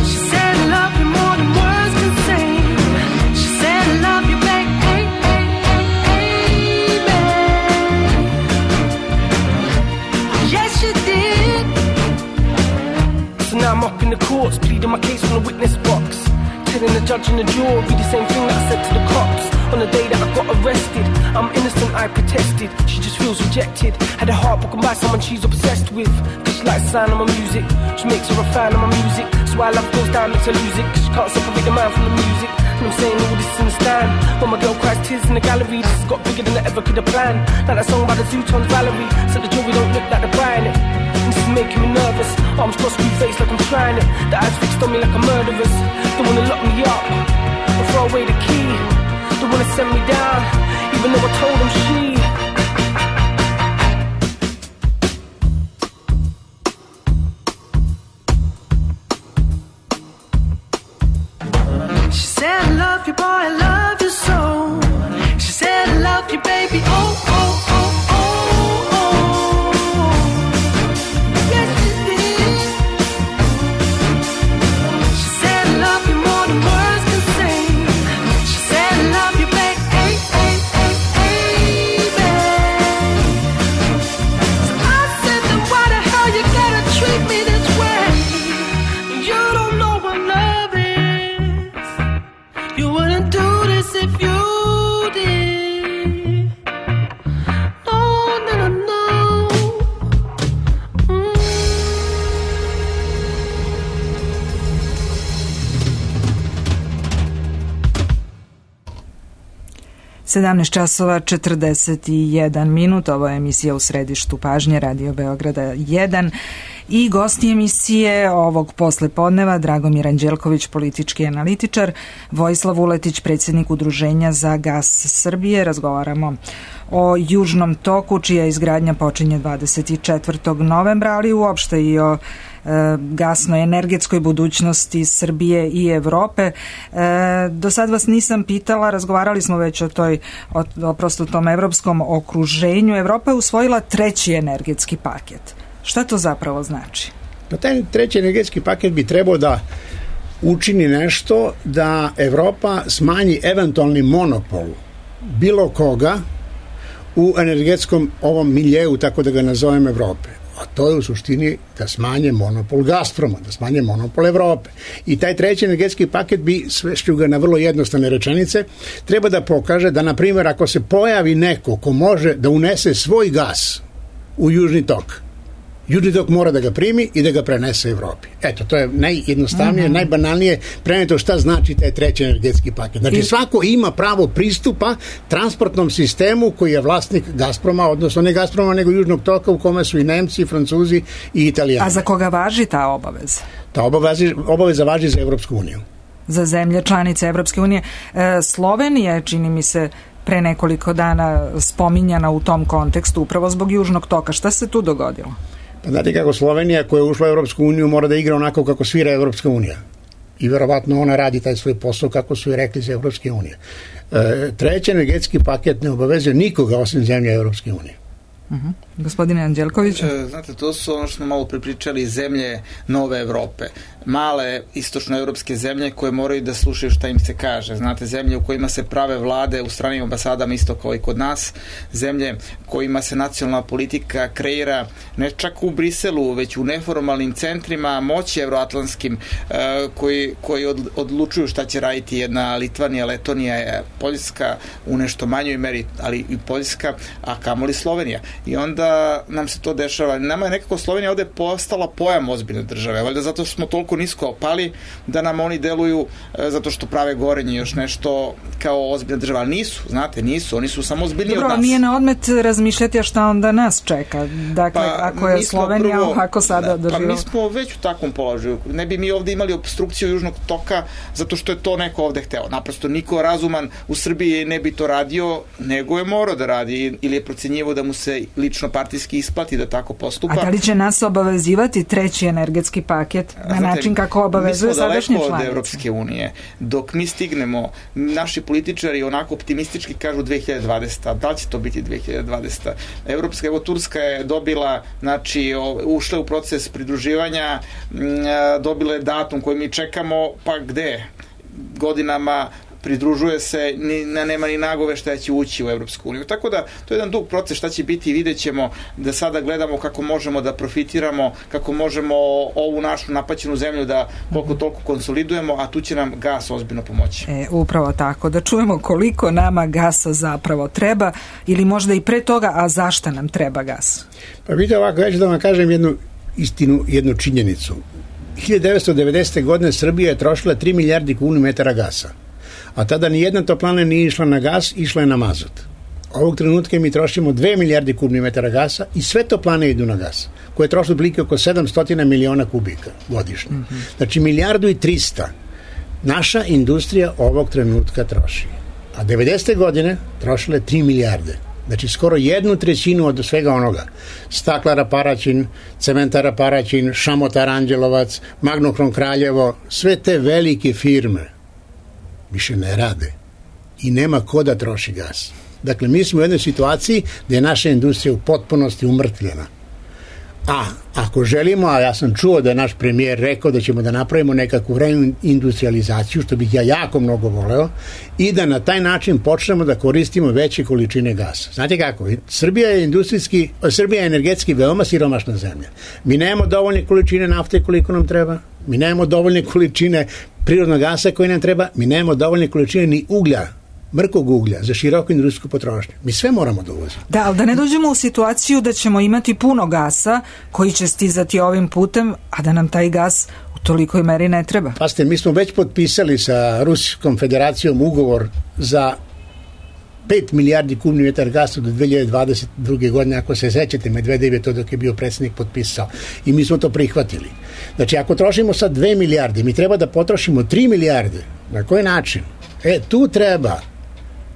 She said, I love you more than words can say. She said, I love you, baby, hey, hey, hey, hey, babe. Yes, you did. So now I'm up in the courts, pleading my case from the witness box. Telling the judge and the jury the same thing that I said to the cops on the day that I got arrested. I'm innocent, I protested. She just feels rejected. Had her heart broken by someone she's obsessed with. Cause she likes the sound of my music. She makes her a fan of my music. So why love goes down, makes her lose it. Cause she can't separate the man from the music. And I'm saying all this in the stand. When my girl cries tears in the gallery, this has got bigger than I ever could have planned. Like that song by the Zootons, Valerie. So the jury don't look like they're buying it. And this is making me nervous. Arms crossed, screw face like I'm trying it. The eyes fixed on me like a murderer's. Don't wanna lock me up or throw away the key. Don't wanna send me down, even though I told them she. She said, I love you, boy, I love you so. She said, I love you, baby, oh, oh, oh, oh, oh. Yes, she did. She said, I love you more than words can say. sedamnaest časova četrdeset jedan minut, ovo je emisija U središtu pažnje Radio Beograda jedan i gosti emisije ovog poslepodneva Dragomir Anđelković, politički analitičar, Vojislav Vuletić, predsjednik Udruženja za gas Srbije. Razgovaramo o Južnom toku, čija izgradnja počinje dvadeset četvrtog novembra, ali uopšte i o gasnoj energetskoj budućnosti Srbije i Evrope. E, do sad vas nisam pitala, razgovarali smo već o toj, o, oprosto tom evropskom okruženju. Evropa je usvojila treći energetski paket. Šta to zapravo znači? Pa taj treći energetski paket bi trebao da učini nešto da Evropa smanji eventualni monopol bilo koga u energetskom ovom miljeu, tako da ga nazovem Evrope. A to je u suštini da smanje monopol Gazproma, da smanje monopol Evrope. I taj treći energetski paket bi, svešću ga na vrlo jednostavne rečenice, treba da pokaže da, na primjer, ako se pojavi neko ko može da unese svoj gas u Južni tok, Južni tok mora da ga primi i da ga prenese Evropi. Eto, to je najjednostavnije, mm-hmm. najbanalnije preneto šta znači taj treći energetski paket. Znači, svako ima pravo pristupa transportnom sistemu koji je vlasnik Gazproma, odnosno ne Gazproma, nego Južnog toka, u kome su i Nemci, i Francuzi i Italijani. A za koga važi ta obaveza? Ta obaveza, obaveza važi za Evropsku uniju. Za zemlje članice Evropske unije. E, Slovenija je, čini mi se, pre nekoliko dana spominjana u tom kontekstu upravo zbog Južnog toka. Šta se tu dogodilo? Znate kako Slovenija koja je ušla u Evropsku uniju mora da igra onako kako svira Evropska unija. I verovatno ona radi taj svoj posao kako su i rekli za Evropske unije. E, treći energetski paket ne obavezuje nikoga osim zemlje Evropske unije. Uh-huh. Gospodine Anđelković? E, znate, to su ono što smo malo pripričali, zemlje nove Evrope. Male istočnoevropske zemlje koje moraju da slušaju šta im se kaže. Znate, zemlje u kojima se prave vlade u stranim ambasadama isto kao i kod nas. Zemlje kojima se nacionalna politika kreira ne čak u Briselu, već u neformalnim centrima moći evroatlantskim e, koji, koji od, odlučuju šta će raditi jedna Litvanija, Letonija, Poljska u nešto manjoj meri, ali i Poljska, a kamoli Slovenija. I onda nam se to dešava. Nama je nekako Slovenija ovde postala pojam ozbiljne države, valjda zato što smo toliko nisko opali da nam oni deluju e, zato što prave gorenje još nešto kao ozbiljna država, ali nisu, znate, nisu, oni su samo ozbiljniji od nas. Dobro, nije na odmet razmišljati šta onda nas čeka. Dakle, pa, ako je Slovenija prvo, ovako sada doživa. Pa mi smo već u takvom položaju. Ne bi mi ovde imali obstrukciju Južnog toka zato što je to neko ovde hteo. Naprosto niko razuman u Srbiji ne bi to radio, nego je morao da radi ili je procenjivo da mu se lično partijski isplati da tako postupa. A da li će nas obavezivati treći energetski paket na način kako obavezuje sadašnje članice? Mi smo daleko od Evropske unije. Dok mi stignemo, naši političari onako optimistički kažu dve hiljade dvadesete. Da li će to biti dve hiljade dvadesete? Evropska, evo Turska je dobila, znači, ušla u proces pridruživanja, dobila je datum koji mi čekamo, pa gde? Godinama pridružuje se, ni, nema ni nagove šta će ući u Evropsku uniju. Tako da, to je jedan dug proces, šta će biti, vidjet ćemo, da sada gledamo kako možemo da profitiramo, kako možemo ovu našu napaćenu zemlju da koliko toliko konsolidujemo, a tu će nam gas ozbiljno pomoći. E, upravo tako, da čujemo koliko nama gasa zapravo treba, ili možda i pre toga, a zašto nam treba gas? Pa vidite ovako, ja ću da vam kažem jednu istinu, jednu činjenicu. hiljadu devetsto devedesete. godine Srbija je trošila tri milijardi kubičnih gasa. A tada ni jedna toplana nije išla na gas, išla je na mazut. Ovog trenutka mi trošimo dve milijarde kubnih metara gasa i sve toplane idu na gas, koje troši otprilike oko sedamsto miliona kubika godišnje. Mm-hmm. Znači milijardu i trista naša industrija ovog trenutka troši. A devedesete. godine trošile tri milijarde. Znači skoro jednu trećinu od svega onoga. Staklara Paraćin, Cementara Paraćin, Šamotar Anđelovac, Magnohrom Kraljevo, sve te velike firme više ne rade i nema ko da troši gas. Dakle, mi smo u jednoj situaciji gde je naša industrija u potpunosti umrtvljena. A ako želimo, a ja sam čuo da je naš premijer rekao da ćemo da napravimo nekakvu reindustrializaciju, što bih ja jako mnogo voleo, i da na taj način počnemo da koristimo veće količine gasa. Znate kako? Srbija je industrijski, Srbija je energetski veoma siromašna zemlja. Mi nemamo dovoljne količine nafte koliko nam treba, mi nemamo dovoljne količine prirodnog gasa koji nam treba, mi nemamo dovoljne količine ni uglja, mrkog uglja za široku industrijsku potrošnju. Mi sve moramo da uvozimo. Da, ali da ne dođemo u situaciju da ćemo imati puno gasa koji će stizati ovim putem, a da nam taj gas u tolikoj meri ne treba. Pazite, mi smo već potpisali sa Ruskom federacijom ugovor za pet milijardi kubnih metara gasa do dve hiljade dvadeset druge. godine, ako se sećate, Medvedev je to dok je bio predsjednik potpisao i mi smo to prihvatili. Znači, ako trošimo sad dve milijarde, mi treba da potrošimo tri milijarde. Na koji način? E, tu treba,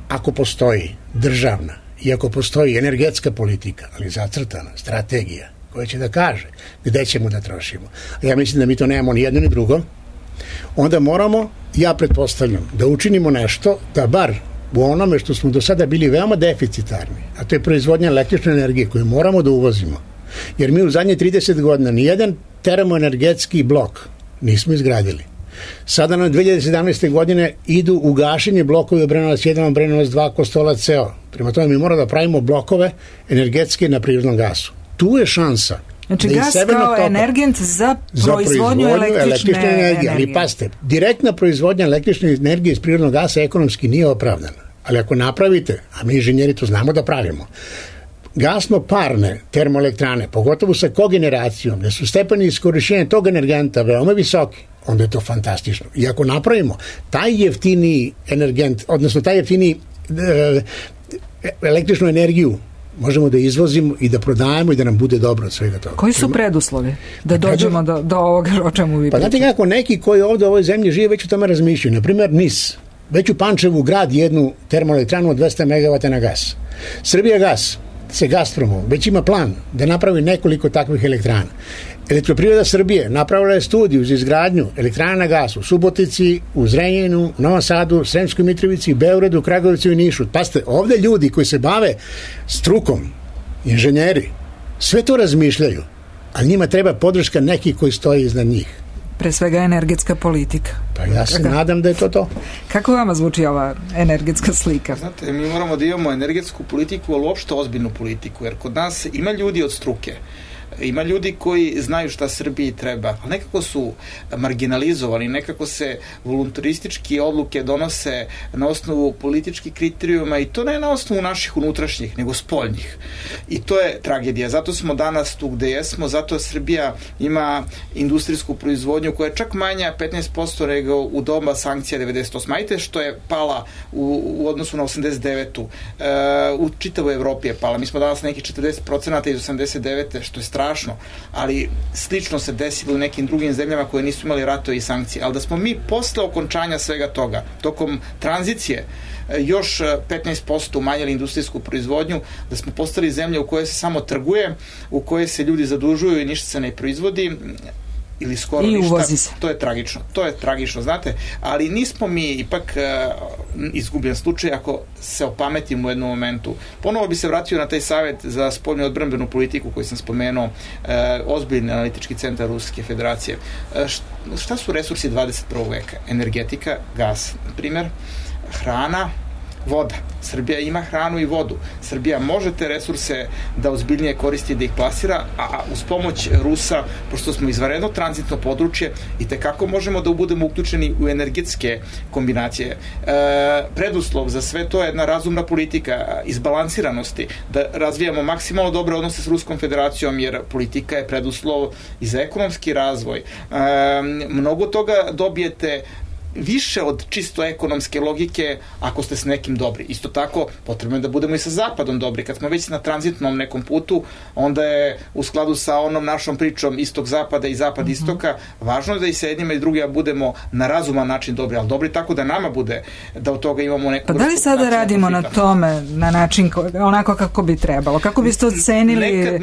ako postoji državna i ako postoji energetska politika, ali zacrtana, strategija, koja će da kaže gde ćemo da trošimo. A ja mislim da mi to nemamo ni jedno ni drugo. Onda moramo, ja pretpostavljam, da učinimo nešto da bar u onome što smo do sada bili veoma deficitarni, a to je proizvodnja električne energije koju moramo da uvozimo. Jer mi u zadnje trideset godina nijedan termoenergetski blok nismo izgradili. Sada na dve hiljade sedamnaeste. godine idu u gašenje blokovi Obrenovac jedan, Obrenovac dva, Kostolac ceo. Prema tome mi moramo da pravimo blokove energetske na prirodnom gasu. Tu je šansa. Znači da gas kao toka, energent za proizvodnju, za proizvodnju električne, električne energije. energije. Ali pasite, direktna proizvodnja električne energije iz prirodnog gasa ekonomski nije opravdana. Ali ako napravite, a mi inženjeri to znamo da pravimo, gasno-parne termoelektrane, pogotovo sa kogeneracijom, gde su stepeni iskorišćenja tog energenta veoma visoki, onda je to fantastično. I ako napravimo taj jeftiniji energent, odnosno taj jeftiniji e, električnu energiju, možemo da izvozimo i da prodajemo i da nam bude dobro od svega toga. Koji su preduslovi da dođemo do, do ovoga o čemu vi Pa pričate? znate kako, neki koji ovde u ovoj zemlji žive već o tome razmišljaju. Naprimjer, N I S. Već u Pančevu grad jednu termoelektranu od dvesta megavata na gas. Srbija gas se Gazpromom već ima plan da napravi nekoliko takvih elektrana. Elektroprivreda Srbije napravila je studiju za izgradnju elektrana na gas u Subotici, u Zrenjaninu, Novom Sadu, Sremskoj Mitrovici, Beogradu, Kragujevcu i Nišu. Pazite, ovde ljudi koji se bave strukom, inženjeri, sve to razmišljaju, ali njima treba podrška nekih koji stoji iznad njih. Pre svega energetska politika. Pa ja se Kako? nadam da je to to. Kako vama zvuči ova energetska slika? Znate, mi moramo da imamo energetsku politiku, ali uopšte ozbiljnu politiku, jer kod nas ima ljudi od struke. Ima ljudi koji znaju šta Srbiji treba, ali nekako su marginalizovani, nekako se voluntaristički odluke donose na osnovu političkih kriterijuma i to ne na osnovu naših unutrašnjih, nego spoljnih. I to je tragedija. Zato smo danas tu gde jesmo, zato Srbija ima industrijsku proizvodnju koja je čak manja petnaest posto nego u doba sankcija devedeset osme. Ajte što je pala u, u odnosu na osamdeset devetu. E, u čitavoj Evropi je pala. Mi smo danas nekih četrdeset procenata iz osamdeset devete, što je strašno, ali slično se desilo u nekim drugim zemljama koje nisu imali ratove i sankcije. Ali da smo mi posle okončanja svega toga, tokom tranzicije, još petnaest posto umanjili industrijsku proizvodnju, da smo postali zemlja u kojoj se samo trguje, u kojoj se ljudi zadužuju i ništa se ne proizvodi, ili skoro I ništa, uvozi se. To je tragično, to je tragično, znate, ali nismo mi ipak uh, izgubljen slučaj ako se opametimo u jednom momentu. Ponovo bi se vratio na taj savjet za spoljnu odbrambenu politiku koji sam spomenuo, uh, ozbiljni analitički centar Ruske federacije. Uh, šta su resursi dvadeset prvog veka? Energetika, gas, na primjer, hrana, voda. Srbija ima hranu i vodu. Srbija može te resurse da ozbiljnije koristi, da ih plasira, a uz pomoć Rusa, pošto smo izvanredno tranzitno područje, i tekako možemo da budemo uključeni u energetske kombinacije. E, preduslov za sve to je jedna razumna politika izbalansiranosti, da razvijamo maksimalno dobre odnose s Ruskom federacijom, jer politika je preduslov i za ekonomski razvoj. E, mnogo toga dobijete više od čisto ekonomske logike ako ste s nekim dobri. Isto tako, potrebno je da budemo i sa Zapadom dobri. Kad smo već na tranzitnom nekom putu, onda je u skladu sa onom našom pričom istok-zapada i zapad-istoka, važno je da i sa jednima i drugima budemo na razuman način dobri, ali dobri tako da nama bude, da od toga imamo neku... Pa da li sada radimo na tome, na način onako kako bi trebalo? Kako biste ocenili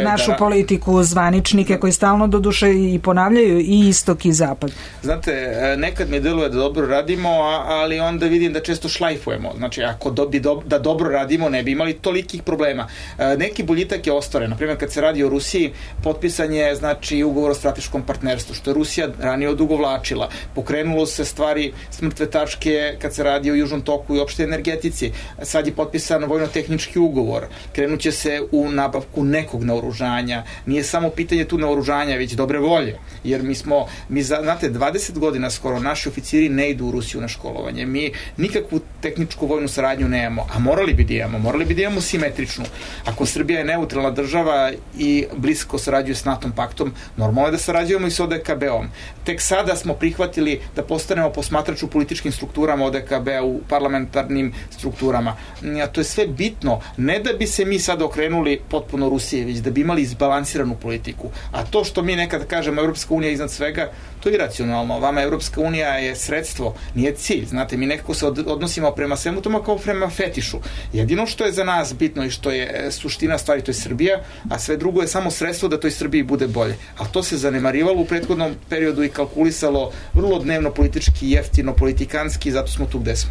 našu da... politiku, zvaničnike koji stalno doduše i ponavljaju i istok i zapad? Znate, nekad mi deluje da dobro radimo, ali onda vidim da često šlajfujemo. Znači, ako do, do, da dobro radimo, ne bi imali tolikih problema. E, neki boljitak je ostvaren. Naprimjer, kad se radi o Rusiji, potpisan je, znači, ugovor o strateškom partnerstvu, što je Rusija ranije odugovlačila. Pokrenulo se stvari s mrtve tačke kad se radi o Južnom toku i opšte energetici. Sad je potpisan vojno-tehnički ugovor. Krenuće se u nabavku nekog naoružanja. Nije samo pitanje tu naoružanja, već dobre volje. Jer mi smo, mi za, znate, dvadeset godina skoro naši oficiri ne idu u Rusiju na školovanje. Mi nikakvu tehničku vojnu saradnju nemamo, a morali bi da imamo, morali bi da imamo simetričnu. Ako Srbija je neutralna država i blisko sarađuje s NATO paktom, normalno je da sarađujemo i s O D K B-om. Tek sada smo prihvatili da postanemo posmatrač u političkim strukturama O D K B-a, u parlamentarnim strukturama. A to je sve bitno, ne da bi se mi sada okrenuli potpuno Rusije, već da bi imali izbalansiranu politiku. A to što mi nekada kažemo Evropska unija iznad svega, to je iracionalno. Vama Evropska unija je sredstvo, nije cilj. Znate, mi nekako se odnosimo prema svemu tome kao prema fetišu. Jedino što je za nas bitno i što je suština stvari, to je Srbija, a sve drugo je samo sredstvo da toj Srbiji bude bolje. Ali to se zanemarivalo u prethodnom periodu i kalkulisalo vrlo dnevno politički, jeftino, politikanski, zato smo tu gde smo.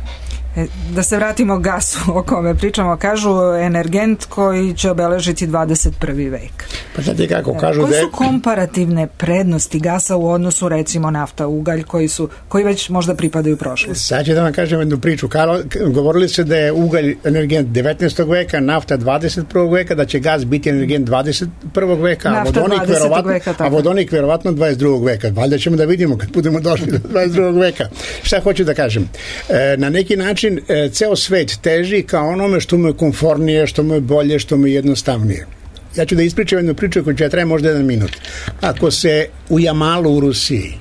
Da se vratimo gasu o kome pričamo, kažu energent koji će obeležiti dvadeset prvi vek. Pa znate kako kažu Koje da je... su komparativne prednosti gasa u odnosu recimo nafta, ugalj koji su koji već možda pripadaju prošlosti? Sad ću da vam kažem jednu priču. Karlo, govorili se da je ugalj energent devetnaestog veka, nafta dvadeset prvog veka, da će gas biti energent dvadeset prvog veka, a vodonik verovatno, veka, a vodonik verovatno dvadeset drugog veka. Valjda ćemo da vidimo kad budemo došli do dvadeset drugog veka. Šta hoću da kažem? E, na neki način ceo svet teži ka onome što mu je komfornije, što mu je bolje, što mu je jednostavnije. Ja ću da ispričam jednu priču koja će traje možda jedan minut. Ako se u Jamalu u Rusiji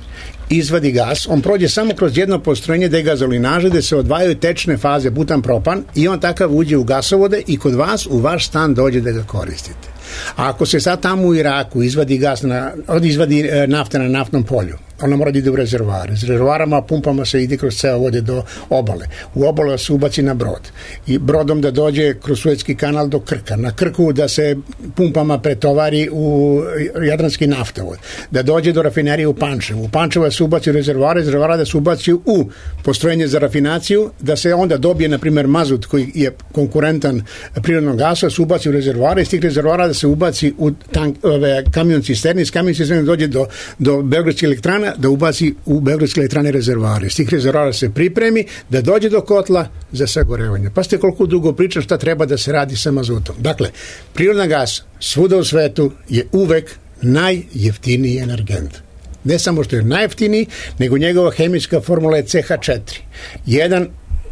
izvadi gas, on prođe samo kroz jedno postrojenje degazolinaže gde se odvajaju tečne faze butan propan i on takav uđe u gasovode i kod vas u vaš stan dođe da ga koristite. A ako se sad tamo u Iraku izvadi gas na, izvadi nafta na naftnom polju, ona mora da ide u rezervoare. S rezervoarama, pumpama se ide kroz ceo vode do obale. U obalu se ubaci na brod. I brodom da dođe kroz Suetski kanal do Krka. Na Krku da se pumpama pretovari u Jadranski naftovod. Da dođe do rafinerije u Pančevu. U Pančevu se ubaci u rezervoare, rezervoara da se ubaci u postrojenje za rafinaciju, da se onda dobije, na primjer, mazut koji je konkurentan prirodnom gasu, da se ubaci u rezervoare, iz tih rezervoara da se ubaci u tank, ove, kamion cisterni, iz kamion cisterni dođe do, do Beogradske elektrane, da ubaci u Beogradske elektrane rezervoare. Iz tih rezervoara se pripremi da dođe do kotla za sagorevanje. Pa ste koliko dugo pričam šta treba da se radi sa mazutom. Dakle, prirodan gas svuda u svetu je uvek najjeftiniji energent. Ne samo što je najjeftiniji, nego njegova hemijska formula je C H četiri. Jedan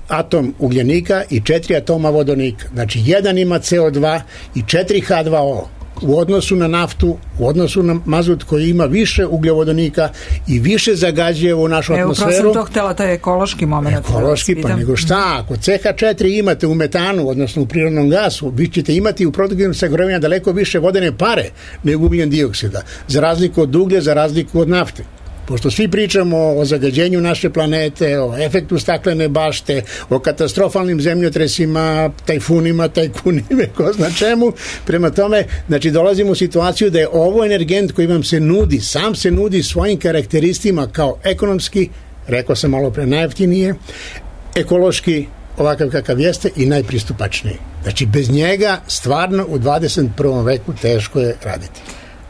atom ugljenika i četiri atoma vodonika. Znači, jedan ima C O dva i četiri H dva O. U odnosu na naftu, u odnosu na mazut koji ima više ugljovodonika i više zagađuje u našu Evo, atmosferu. Evo, prosim, to htjela, to je ekološki moment. Ekološki, pa nego šta, ako C H četiri imate u metanu, odnosno u prirodnom gasu, vi ćete imati u produktivnom sagorevanju daleko više vodene pare nego ugljen dioksida, za razliku od uglja, za razliku od nafte. Pošto svi pričamo o zagađenju naše planete, o efektu staklene bašte, o katastrofalnim zemljotresima, tajfunima, tajkunima, ko zna čemu. Prema tome, znači dolazimo u situaciju da je ovo energent koji vam se nudi, sam se nudi svojim karakteristima kao ekonomski, rekao sam malo pre, najjeftinije, ekološki, ovakav kakav jeste i najpristupačniji. Znači, bez njega stvarno u dvadeset prvom veku teško je raditi.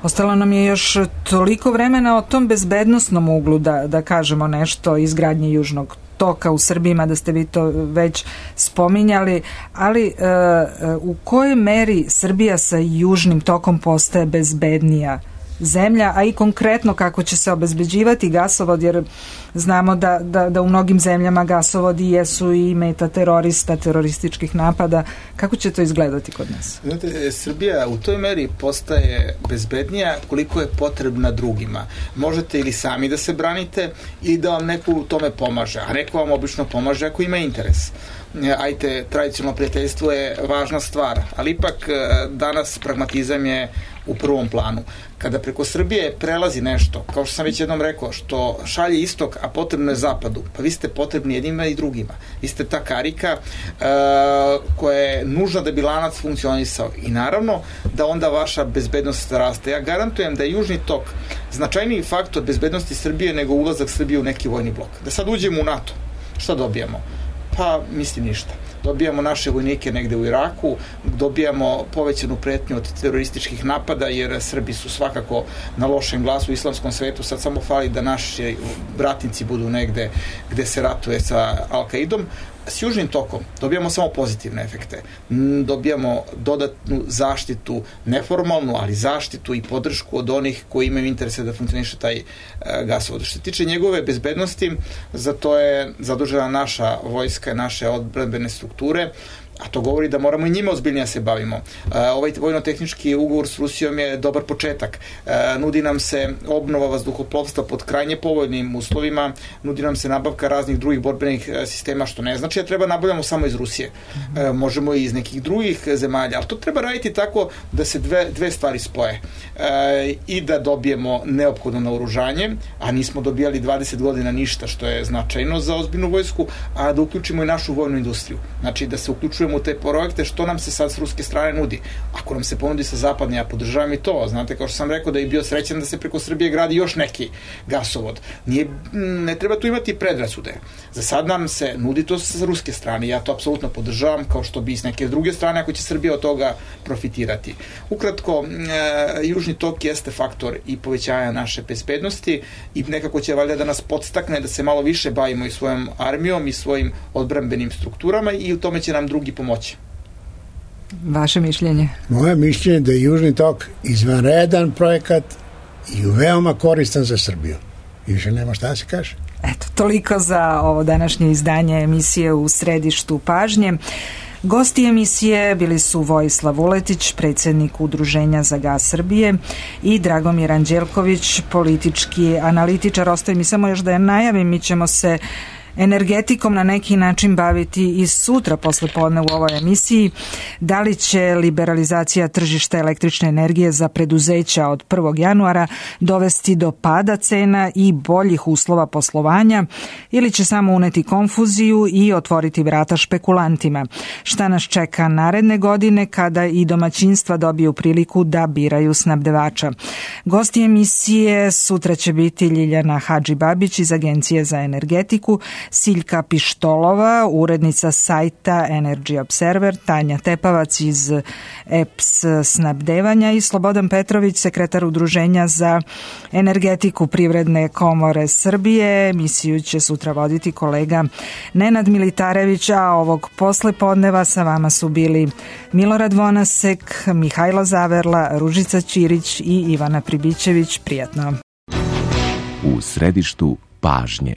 Ostalo nam je još toliko vremena o tom bezbednosnom uglu da, da kažemo nešto o izgradnji Južnog toka u Srbiji, da ste vi to već spominjali, ali e, u kojoj meri Srbija sa Južnim tokom postaje bezbednija zemlja, a i konkretno kako će se obezbeđivati gasovod, jer znamo da, da, da u mnogim zemljama gasovodi jesu i meta terorista, terorističkih napada. Kako će to izgledati kod nas? Znate, Srbija u toj meri postaje bezbednija koliko je potrebna drugima. Možete ili sami da se branite ili da vam neko u tome pomaže, a neko vam obično pomaže ako ima interes. Ajte, tradicionalno prijateljstvo je važna stvar, ali ipak danas pragmatizam je u prvom planu. Kada preko Srbije prelazi nešto, kao što sam već jednom rekao, što šalje istok, a potrebno je zapadu, pa vi ste potrebni jednima i drugima. Vi ste ta karika uh, koja je nužna da bi lanac funkcionisao. I naravno da onda vaša bezbednost raste. Ja garantujem da je Južni tok značajniji faktor bezbednosti Srbije nego ulazak Srbije u neki vojni blok. Da sad uđemo u NATO, šta dobijamo? Pa, mislim, ništa. Dobijamo naše vojnike negde u Iraku, dobijamo povećanu pretnju od terorističkih napada, jer Srbi su svakako na lošem glasu u islamskom svetu, sad samo fali da naši bratnici budu negde gde se ratuje sa Al-Kaidom, s Južnim tokom dobijamo samo pozitivne efekte. M, Dobijamo dodatnu zaštitu, neformalnu, ali zaštitu i podršku od onih koji imaju interese da funkcioniše taj e, gasovod. Što se tiče njegove bezbednosti, za to je zadužena naša vojska, naše odbrambene strukture, a to govori da moramo i njima ozbiljnije da se bavimo. Ovaj vojno-tehnički ugovor s Rusijom je dobar početak. Nudi nam se obnova vazduhoplovstva pod krajnje povoljnim uslovima, nudi nam se nabavka raznih drugih borbenih sistema, što ne znači da treba nabavljamo samo iz Rusije. Možemo i iz nekih drugih zemalja, ali to treba raditi tako da se dve, dve stvari spoje. I da dobijemo neophodno naoružanje, a nismo dobijali dvadeset godina ništa, što je značajno za ozbiljnu vojsku, a da uključimo i našu vojnu industriju. Znači da se uključujemo u te projekte, što nam se sad s ruske strane nudi. Ako nam se ponudi sa zapadne, ja podržavam i to. Znate, kao što sam rekao, da je bio srećan da se preko Srbije gradi još neki gasovod. Nije, ne treba tu imati predrasude. Za sad nam se nudi to sa ruske strane. Ja to apsolutno podržavam, kao što bi s neke druge strane, ako će Srbija od toga profitirati. Ukratko, e, Južni tok jeste faktor i povećanja naše bezbednosti i nekako će valjda da nas podstakne da se malo više bavimo i svojom armijom i svojim odbrambenim strukturama i u tome će nam drugi pomoći. Vaše mišljenje? Moje mišljenje je da je Južni tok izvanredan projekat i veoma koristan za Srbiju. I više nema šta da se kaže. Eto, toliko za ovo današnje izdanje emisije U središtu pažnje. Gosti emisije bili su Vojislav Vuletić, predsjednik Udruženja za gas Srbije, i Dragomir Anđelković, politički analitičar. Ostaje mi samo još da je najavim, mi ćemo se energetikom na neki način baviti i sutra posle podne u ovoj emisiji. Da li će liberalizacija tržišta električne energije za preduzeća od prvog januara dovesti do pada cena i boljih uslova poslovanja ili će samo uneti konfuziju i otvoriti vrata špekulantima? Šta nas čeka naredne godine kada i domaćinstva dobiju priliku da biraju snabdevača? Gosti emisije sutra će biti Ljiljana Hadžibabić iz Agencije za energetiku, Siljka Pištolova, urednica sajta Energy Observer, Tanja Tepavac iz E P S snabdevanja i Slobodan Petrović, sekretar Udruženja za energetiku Privredne komore Srbije. Emisiju će sutra voditi kolega Nenad Militarević, a ovog poslepodneva sa vama su bili Milorad Vonasek, Mihajlo Zaverla, Ružica Ćirić i Ivana Pribićević. Prijatno. U središtu pažnje.